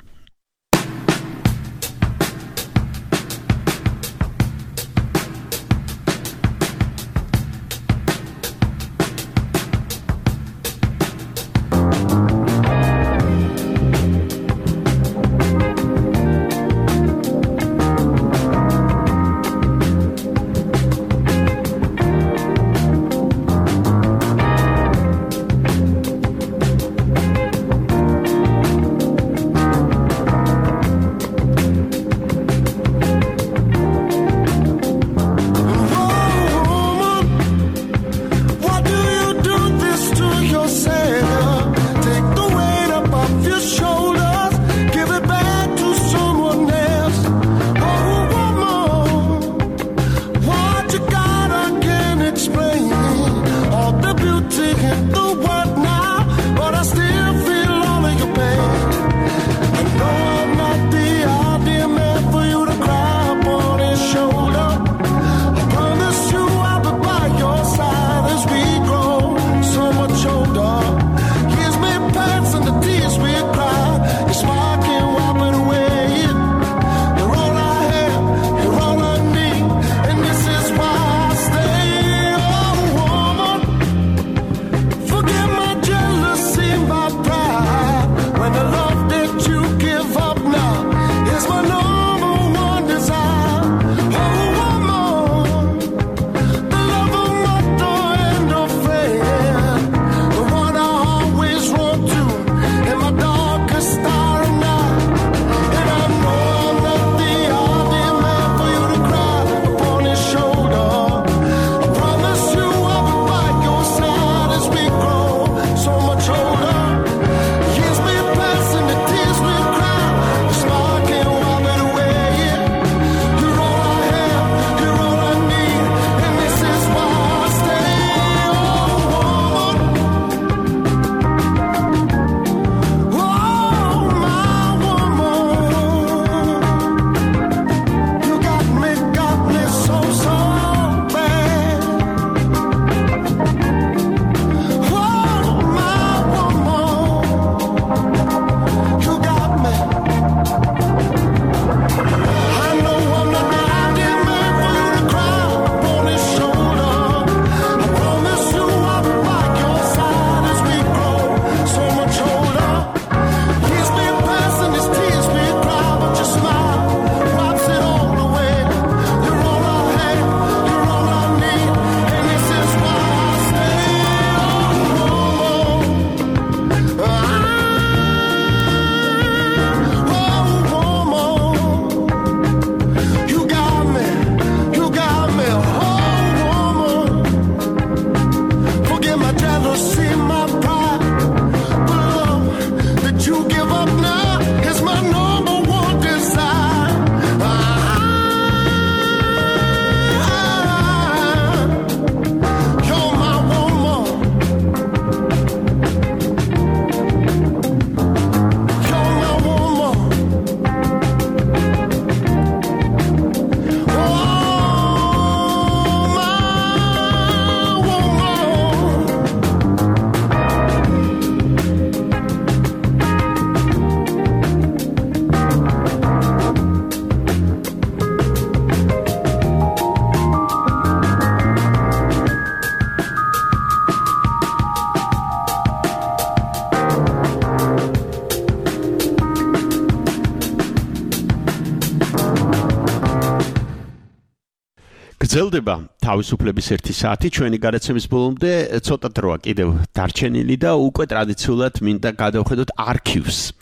გრძელდება თავისუფლების 1 საათი ჩვენი გადაცემის ბოლომდე ცოტა დროა კიდევ დარჩენილი და უკვე ტრადიციულად მინდა გადავხედოთ არქივს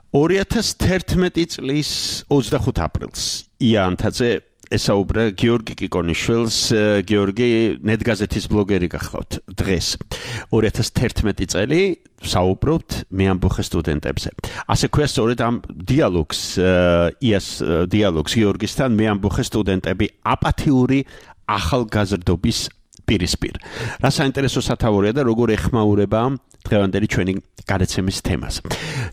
2011 წლის 25 აპრილს იანთაძე ესაუბრა გიორგი კიკონიშვილს გიორგი ნეტგაზეთის ბლოგერი გახლავთ დღეს 2011 წელი საუბრობთ მე ამბოხე სტუდენტებზე ასე ქვია სწორედ ამ დიალოგს დიალოგს გიორგისთან მე ამბოხე სტუდენტები აპათიური ახალგაზრდობის პირისპირ რა საინტერესო სათავორია და როგორ ეხმაურება დღევანდელი ჩვენი გადაცემის თემას.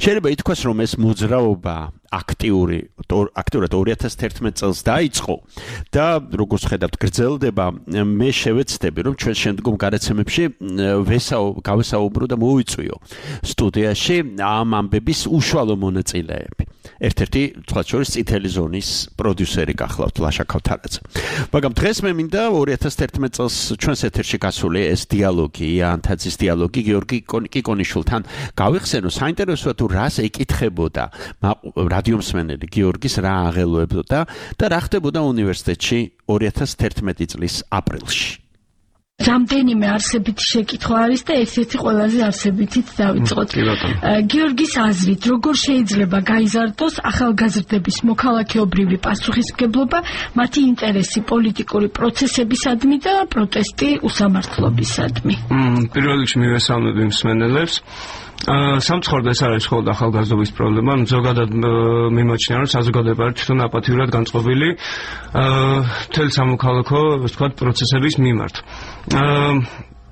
შეიძლება ითქვას, რომ ეს მოძრაობა აქტიურად 2011 წელს დაიწყო და როგორც ხედავთ გრძელდება, მე შევეცდები, რომ ჩვენ შემდგომ გადაცემებში გავესაუბრო და მოვიწვიო სტუდიაში ამ ამბების უშუალო მონაწილეები. ერთ-ერთი თქვათ შორის წითელი ზონის პროდიუსერი გახლავთ ლაშა ქავთარაძე. მაგრამ დღეს მე მინდა 2011 წელს ჩვენს ეთერში გასული ეს დიალოგი, იანთაძის დიალოგი გიორგი კიკონიშვილთან გავიხსენო საინტერესოა თუ რას ეკითხებოდა რადიომსმენელი გიორგის რა აღელვებოდა და რა ხდებოდა უნივერსიტეტში 2011 წლის აპრილში. რამდენიმე არსებითი შეკითხვა არის და ერთ-ერთი ყველაზე არსებითიც დავიწყოთ. გიორგის აზრით, როგორ შეიძლება გაიზარდოს ახალგაზრდების მოქალაქეობრივი პასუხისმგებლობა, მათი ინტერესი პოლიტიკური პროცესებისადმი და პროტესტი უსამართლობისადმი. პირველ რიგში მივესალმები მსმენელებს. სამწუხაროდ ეს არის მხოლოდ ახალგაზრდობის პრობლემა, ზოგადად მიმოჩნია, რომ საზოგადოება თვითონ აპათიურად განწყობილი მთელი სამოქალაქო, ასე ვთქვათ, პროცესების მიმართ.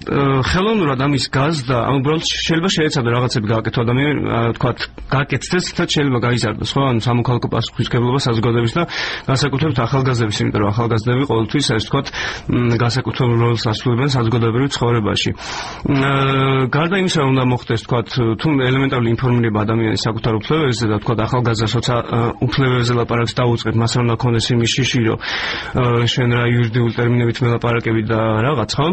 ხელოვნურად ამის გაზრდა, უბრალოდ შეიძლება შეეცადო რაღაცები გააკეთო ადამიანი, ვთქვათ, გააკეთდეს და შეიძლება გაიზარდოს, ხო? ანუ სამოქალაქო პასუხისმგებლობა საზოგადოების და განსაკუთრებით ახალგაზრდების, იმიტომ რომ ახალგაზრდები ყოველთვის, ასე ვთქვათ, განსაკუთრებულ როლს ასრულებენ საზოგადოებრივ ცხოვრებაში. გარდა იმისა, რომ უნდა მოხდეს, ვთქვათ, თუ ელემენტარული ინფორმირება ადამიანის საკუთარ უფლებებზე და ვთქვათ, ახალგაზრდა უფლებებზე ლაპარაკს დაუწყებ, მას რომ უნდა ქონდეს იმის შიში, რომ შენ რა იურიდიული ტერმინებით მელაპარაკები და რაღაც, ხო?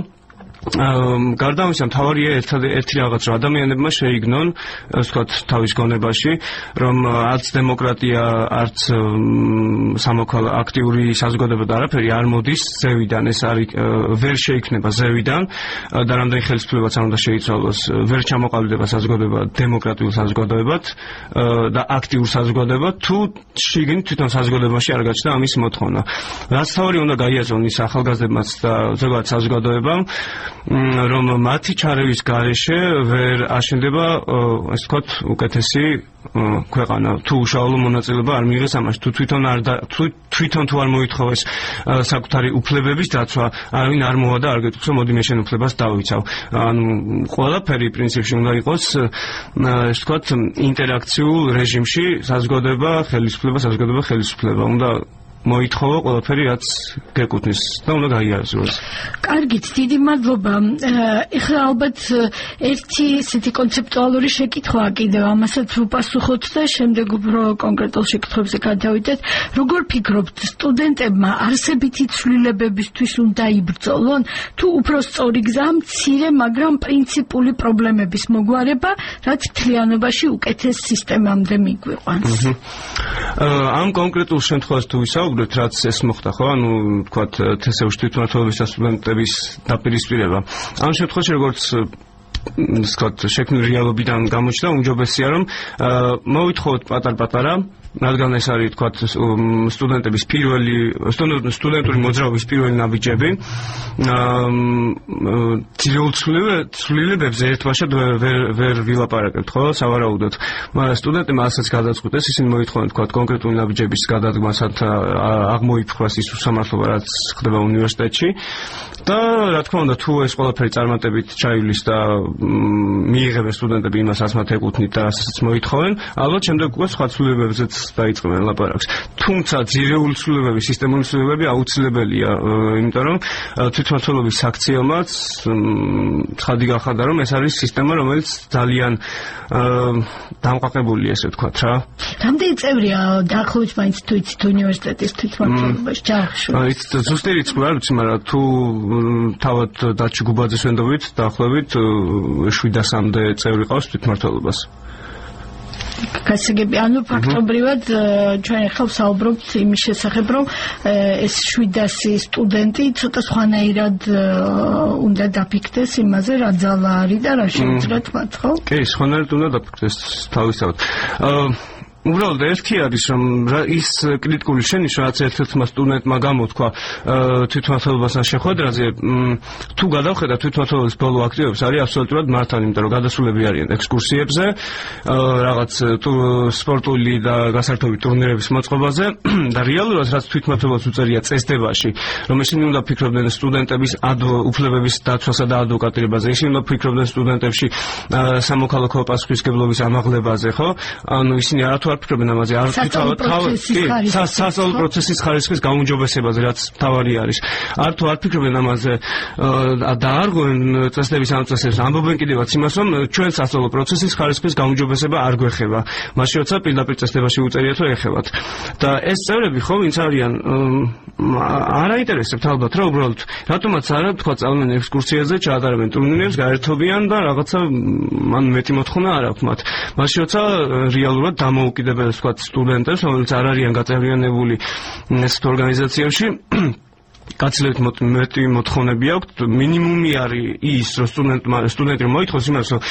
გარდა ამისა, მთავარია ერთი რაღაც, რომ ადამიანებმა შეიგნონ, ასე ვთქვათ, თავის გონებაში, რომ არც დემოკრატია, არც აქტიური საზოგადოება და არაფერი არ მოდის ზევიდან, ეს არის ვერ შეიქმნება ზევიდან და რამდენი ხელისუფლებაც არ უნდა შეიცვალოს, ვერ ჩამოყალიბდება საზოგადოება დემოკრატიულ საზოგადოებად და აქტიურ საზოგადოებად, თუ შიგნით თვითონ საზოგადოებაში არ გაჩნდა ამის მოთხოვნა. რაც თავი უნდა გაიაზრონ ის ახალგაზრდებმაც და ზოგადად საზოგადოებამ, რომ მათი ჩარევის გარეშე ვერ აშენდება, ასე ვთქვათ, უკეთესი ქვეყანა. თუ უშუალო მონაწილეობა არ მიიღეს ამაში, თუ თვითონ თუ არ მოითხოვეს საკუთარი უფლებების დაცვა, არავინ არ მოვა და არ გეტყვს, რომ მოდი მე შენ უფლებას დავიცავ. ანუ ყველაფერი პრინციპში უნდა იყოს, ასე ვთქვათ, ინტერაქციულ რეჟიმში საზოგადოება, ხელისუფლება. უნდა მოითხოვო ყველაფერი, რაც გეკუთვნის და უნდა გაიაზროს. კარგით, დიდი მადლობა. ეხლა ალბათ ერთი ისეთი კონცეპტუალური შეკითხვაა კიდევ, ამასაც ვუპასუხოთ და შემდეგ უფრო კონკრეტულ შეკითხვებზე გადავიდეთ. როგორ ფიქრობთ, სტუდენტებმა არსებითი ცვლილებებისთვის უნდა იბრძოლონ, თუ უფრო სწორი გზაა მცირე, მაგრამ პრინციპული პრობლემების მოგვარება, რაც მთლიანობაში უკეთეს სისტემამდე მიგვიყვანს? ამ კონკრეტულ შემთხვევაში თუ ვისაუბრებთ, რაც ეს მოხდა, ხო? ანუ ვთქვათ, თესევში თვითმმართველობის და სტუდენტების დაპირისპირება. ამ შემთხვევაში როგორც ვთქვათ, შექმნილი რეალობიდან გამოჩნდა, უმჯობესია, რომ მოვითხოვოთ პატარ-პატარა, რადგან ეს არის, ვთქვათ, სტუდენტური მოძრაობის პირველი ნაბიჯები. ძირეულ ცვლილებებზე ერთბაშად ვერ ვილაპარაკებთ, ხო? სავარაუდოდ. მაგრამ სტუდენტებმა ასაც გადაწყვიტეს, ისინი მოითხოვენ, ვთქვათ, კონკრეტული ნაბიჯების გადადგმასაც აღმოიფხვრას ის უსამართლობა, რაც ხდება უნივერსიტეტში. და რა თქმა უნდა, თუ ეს ყველაფერი წარმატებით ჩაივლის და მიიღებენ სტუდენტები იმას, რაც მათ ეკუთვნით და რასაც მოითხოვენ, ალბათ შემდეგ უკვე სხვა ცვლილებებზეც დაიწყებენ ლაპარაკს. თუმცა ძირეული ცვლილებები, სისტემური ცვლილებები აუცილებელია, იმიტომ რომ თვითმმართველობის საქციელმაც ცხადი გახადა, რომ ეს არის სისტემა, რომელიც ძალიან დამყარებულია, ესე ვთქვათ რა. რამდენი წევრია დაახლოებით მაინც თუ იცით უნივერსიტეტის თვითმმართველობაში ჯარში? ზუსტი რიცხვი არ ვიცი, მაგრამ თუ თავად დაჩი გუბაძეს ვენდობით, დაახლოებით 700-მდე წევრი ყავს თვითმმართველობას. გასაგები, ანუ ფაქტობრივად ჩვენ ახლა ვსაუბრობთ იმის შესახებ, რომ ეს 700 სტუდენტი ცოტა სხვანაირად უნდა დაფიქრდეს იმაზე, რა ძალა არის და რა შეუძლიათ მათ, ხო? კი, სხვანაირად უნდა დაფიქრდეს თავისთავად. უბრალოდ ერთი არის რომ ის კრიტიკული შენიშვნა რაც ერთ-ერთმა სტუდენტმა გამოთქვა თვითმმართველობასთან შეხვედრაზე თუ გადავხედა თვითმმართველობის ბოლო აქტივობებს არის აბსოლუტურად მართალი, იმიტომ რომ გადასულები არიან ექსკურსიებზე, რაღაც სპორტული და გასართობი ტურნირების მოწყობაზე და რეალურად რაც თვითმმართველობას უწერია წესდებაში, რომ ისინი უნდა ფიქრობდნენ სტუდენტების უფლებების დაცვასა და ადვოკატირებაზე, ისინი უნდა ფიქრობდნენ სტუდენტებში სამოქალაქო პასუხისმგებლობის ამაღლებაზე, ხო? ანუ ისინი არათუ არ ფიქრობენ ამაზე, არ სასწავლო პროცესის ხარისხის გაუმჯობესებაზე, რაც თავარი არის. არ ფიქრობენ ამაზე და არ გვენ წესდების ამოწესებს, ამბობენ კიდევაც იმას, რომ ჩვენ სასწავლო პროცესის ხარისხის გაუმჯობესება არ გვეხება. მაშინ როცა პირდაპირ წესდებაში უწერიათ, რომ ეხებათ. და ეს წევრები ხო ვინც არიან არ აინტერესებთ ალბათ რა უბრალოდ რატომაც არა თქვა წავდნენ ექსკურსიაზე, ჩაატარებენ ტურნირებს, გაერთობიან და რაღაცა მან მეტი მოთხოვნა არ აქვს მათ. მაშინ როცა რეალურად დამოუკიდებელს თქვა სტუდენტებს, რომელიც არ არიან გაწევრიანებული ეს ორგანიზაციაში გაცილებით მეტი მოთხოვნები აქვს. მინიმუმი არის ის, რომ სტუდენტი მოითხოვს იმას, რომ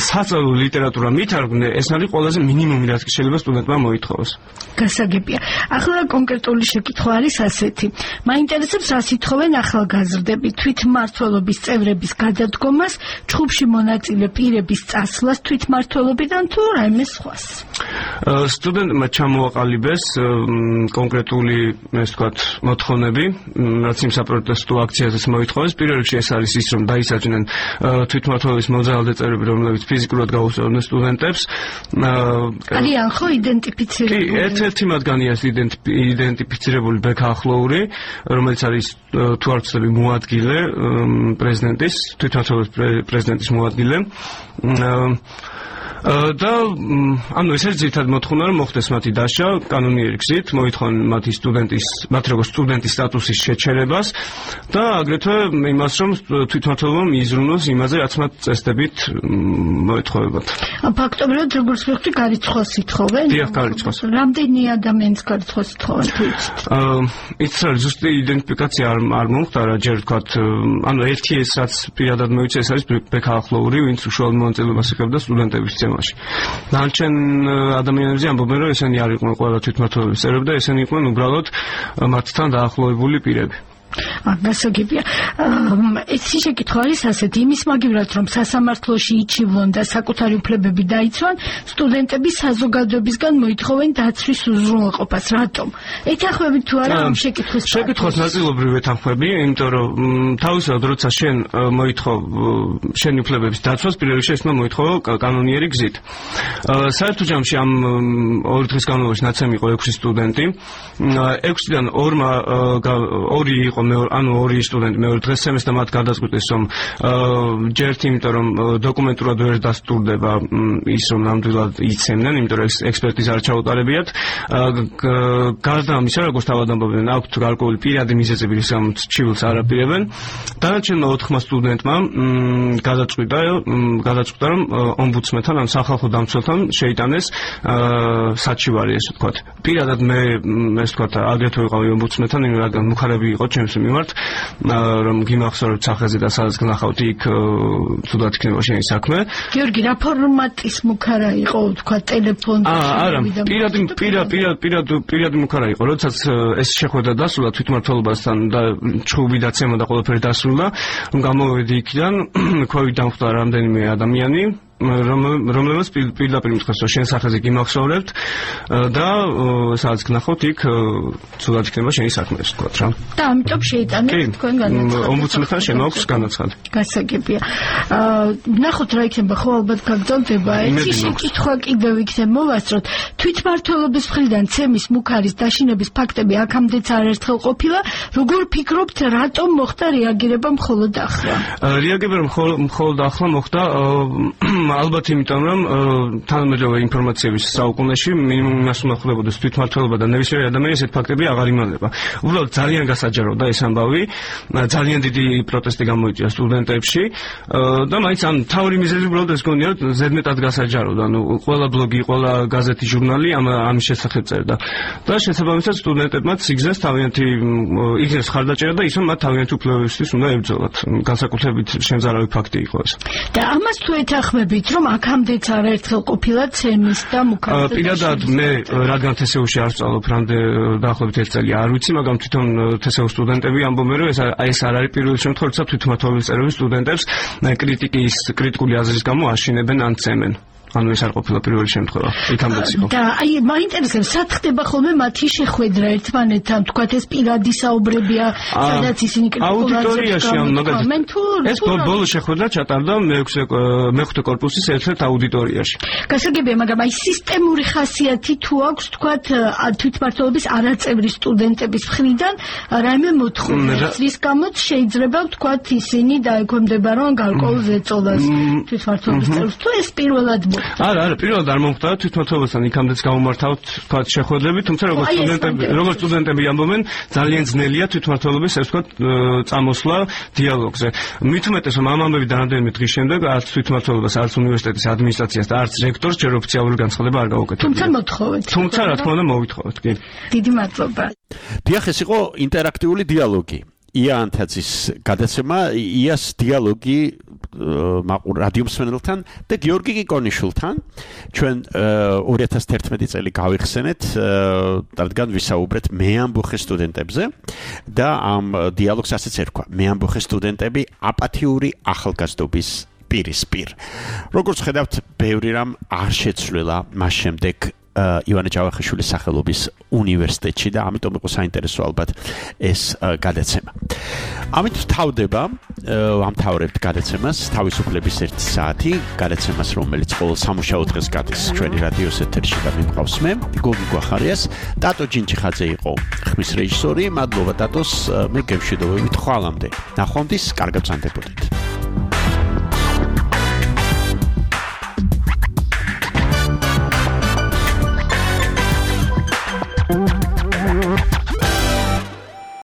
სასწავლო ლიტერატურა მითარგმნე, ეს არის ყველაზე მინიმუმი, რაც შეიძლება სტუდენტმა მოითხოვოს. გასაგებია. ახლა კონკრეტული შეკითხვა არის ასეთი. მაინტერესებს, რას ითხოვენ ახალგაზრდები თვითმმართველობის წევრების გადადგომას, ჩხუბში მონაწილე პირების წასვლას თვითმმართველობიდან თუ რაიმე სხვას? სტუდენტმა ჩამოაყალიბეს კონკრეტული, ესე ვთქვათ, მოთხოვნები, რაც იმ საპროტესტო აქციაზეც მოითხოვეს. პირველ რიგში ეს არის ის, რომ დაისაჯნენ თვითმმართველობის მოძრაობადი წევრები, რომლებიც ფიზიკურად გაუსწორდნენ სტუდენტებს. არიან ხო იდენტიფიცირებული? კი, ერთ-ერთი მათგანი არის იდენტიფიცირებული ბექა ახლოური, რომელიც არის თუ არ ვცდები მოადგილე პრეზიდენტის, თვითმმართველობის პრეზიდენტის მოადგილე. და ანუ ეს არის ძირითადად მოთხოვნა, რომ მოხდეს მათი დაშლა კანონიერი გზით, მოითხოვენ მათ როგორც სტუდენტის სტატუსის შეჩერებას და აგრეთვე იმას, რომ თვითმმართველობა მიიზრუნოს იმაზე, რაც მათ წესდებით მოეთხოვებათ. ფაქტობრივად როგორც ვიხდი, გარიცხვას ითხოვენ? დიახ, გარიცხვას. რამდენი ადამიანს გარიცხვას ითხოვენ თუ იცით? ის არის ზუსტი იდენტიფიკაცია არ მომხდარა, ჯერ ვთქვათ, ანუ ერთი ეს რაც პირადად მოიცე, ეს არის ბექა ახლოური, ვინც უშუალო მონაწილეობას იღებდა სტუდენტების დანარჩენ ადამიანებზე ამბობენ, რომ ესენი არ იყვნენ ყველა თვითმმართველობის წევრები და ესენი იყვნენ უბრალოდ მათთან დაახლოებული პირები. გასაგებია. ეს შეკითხვა არის ასეთი, იმის მაგივრად, რომ სასამართლოში იჩივლონ და საკუთარი უფლებები დაიცვან, სტუდენტები საზოგადოებისგან მოითხოვენ დაცვის უზრუნველყოფას. რატომ? ეთანხმებით თუ არა ამ შეკითხვის? შეკითხვის ნაწილობრივ ეთანხმები, იმიტომ რომ თავისთავად როცა შენ მოითხოვ შენი უფლებების დაცვას, პირველ რიგში ეს უნდა მოითხოვო კანონიერი გზით. საერთო ჯამში ამ 2 დღის განმავლობაში ნაცემი იყო 6 სტუდენტი. 6-დან 2 იყო ორი სტუდენტი მეორე დღეს სემესტრს და მათ გადაწყვიტეს, რომ ჯერთ იმიტომ რომ დოკუმენტურად ვერ დასტურდება ის, რომ ნამდვილად იცემდნენ, იმიტომ რომ ექსპერტიზა არ ჩაუტარებიათ. გარდა ამისა, როგორც თავად ამბობენ, აქვთ გარკვეული პირადი მიზეზები, რის გამოც ჩივლს არ აპირებენ. დანარჩენმა 4 სტუდენტმა გადაწყვიტა, რომ ომბუდსმენთან, ან სახალხო დამცველთან შეიტანეს საჩივარი, ესე ვთქვათ. პირადად მე ესე ვთქვათ, აგრეთვე ვიყავი ომბუდსმენთან, რადგან მუხარები იყო ჩემს მიმართ, რომ გიმახსოვრებთ სახეზე და სადაც გნახავთ, იქ თუდად იქნება შენი საქმე. გიორგი, რა ფორმატის მუხარა იყო, თქვა ტელეფონი? არა, პირადი მუხარა იყო, როდესაც ეს შეხვედრა დასრულდა თვითმმართველობასთან და ჩხუბი დაცემა და ყველაფერი დასრულდა, გამოვედი იქიდან, ქვევით დამხვდა რამდენიმე ადამიანი, რომლებიც პირდაპირ მითხრეს, რომ შენ სახეზე გიმახსოვრებთ და სადაც გნახავთ, იქ თუდად იქნება შენი საქმე, ასე ვთქვათ რა. და ამიტომ შეიტანეთ თქვენ განაცხადი. ომბუდსმენთან შემოაქვს განაცხადი. გასაგებია. ნახოთ რა იქნება, ხო ალბათ გაგრძელდება. ერთი შეკითხვა კიდევ იქნებ მოვასწროთ. თვითმმართველობის მხრიდან ცემის მუხარის დაშინების ფაქტები აქამდეც არაერთხელ ყოფილა. როგორ ფიქრობთ, რატომ მოხდა რეაგირება მხოლოდ ახლა? რეაგირება მხოლოდ ახლა მოხდა ალბათ იმიტომ რომ თანამედროვე ინფორმაციების საუკუნეში მინიმუმ იმას უნდა ხვდებოდეს თვითმმართველობა და ნებისმიერი ადამიანი ესეთ ფაქტები აღარ იმალება. უბრალოდ ძალიან გასაჯაროა ეს ამბავი, ძალიან დიდი პროტესტი გამოიწვია სტუდენტებში და მაინც ამ თავი მიზეზი უბრალოდ ეს გონია ზედმეტად გასაჯაროა. ანუ ყველა ბლოგი, ყველა გაზეთი, ჟურნალი ამის შესახებ წერდა. და შესაბამისად სტუდენტებმაც იგზეს თავიანთი იგზეს ხარდაჭერა და ისე მათ თავიანთი უფლებებისთვის უნდა ებრძოლათ. განსაკუთრებით შემზარავი ფაქტი იყო ეს. და ამას თუ ეთანხმებით, რომ აქამდეც არაერთხელ ყოფილა ცემის და მუქარაძე. პირადად მე რადგან თესეუში არ ვსწავლობ, რამდენ დაახლოებით 1 წელი არ ვიცი, მაგრამ თვითონ თესეუს სტუდენტები ამბობენ, რომ ეს არ არის პირველი შემთხვევა, როცა თვითმმართველობის წერების სტუდენტებს კრიტიკული აზრის გამო აშინებენ ან ცემენ. ანუ ეს არ ყოფილა პირველი შემთხვევა. იქამდეც იყო. და მაინტერესებს, რა ხდება ხოლმე მათი შეხვედრა ერთმანეთთან, თქვათ ეს პირადი საუბრებია, სადაც ისინი აუდიტორიაში ამ მაგალითად ეს ბოლო შეხვედრა ჩატარდა მეხუთე კორპუსის ერთ-ერთ აუდიტორიაში. გასაგებია, მაგრამ აი სისტემური ხასიათი თუ აქვს, თქვათ თვითმმართველობის არაწევრი სტუდენტების მხრიდან რაიმე მოთხოვნა, რის გამოც შეიძლება ვთქვათ ისინი დაექვემდებარონ გარკვეულ ზეწოლას თვითმმართველობის წევრს. თუ ეს პირველად არა, პირველად არ მომხდა თვითმმართველობასთან იქამდეც გამომართავთ თქვათ შეხვედრები, თუმცა როგორც სტუდენტები ამბობენ, ძალიან ძნელია თვითმმართველობის ეს თქვათ წამოსვლა დიალოგზე. მით უმეტეს რომ ამ ამბებიდან რამდენიმე დღის შემდეგ არც თვითმმართველობას, არც უნივერსიტეტის ადმინისტრაციას და არც რექტორს ჯერ ოფიციალური განცხადება არ გაუკეთებია. თუმცა მოთხოვეთ. თუმცა რა თქმა უნდა მოვითხოვეთ, კი. დიდი მადლობა. დიახ, ეს იყო ინტერაქტიული დიალოგი. ია ანთაძის გადაცემა, იას დიალოგი მაყურ რადიო მსმენელთან და გიორგი კიკონიშვილთან. ჩვენ 2011 წელი გავიხსენეთ, რადგან ვისაუბრეთ მეამბოხე სტუდენტებზე და ამ დიალოგს ასეც ერქვა: მეამბოხე სტუდენტები აპათიური ახალგაზრდობის პირისპირ. როგორც ხედავთ, ბევრი რამ არ შეცვლილა მას შემდეგ ივანე ჯავახიშვილის სახელობის უნივერსიტეტში და ამიტომ იყო საინტერესო ალბათ ეს გადაცემა. ამით თავდება ამთავრებთ გადაცემას თავისუფლების 1 საათი, გადაცემას რომელიც ყოველ სამუშაო დღეს გადის ჩვენი რადიოს ეთერში და მიყავს მე, გოგი გვახარიას, ტატო ჯინჩიხაძე იყო ხმის რეჟისორი, მადლობა ტატოს, მე გემშვიდობებით ხვალამდე. ნახვამდის, კარგად ვსანდებოდეთ.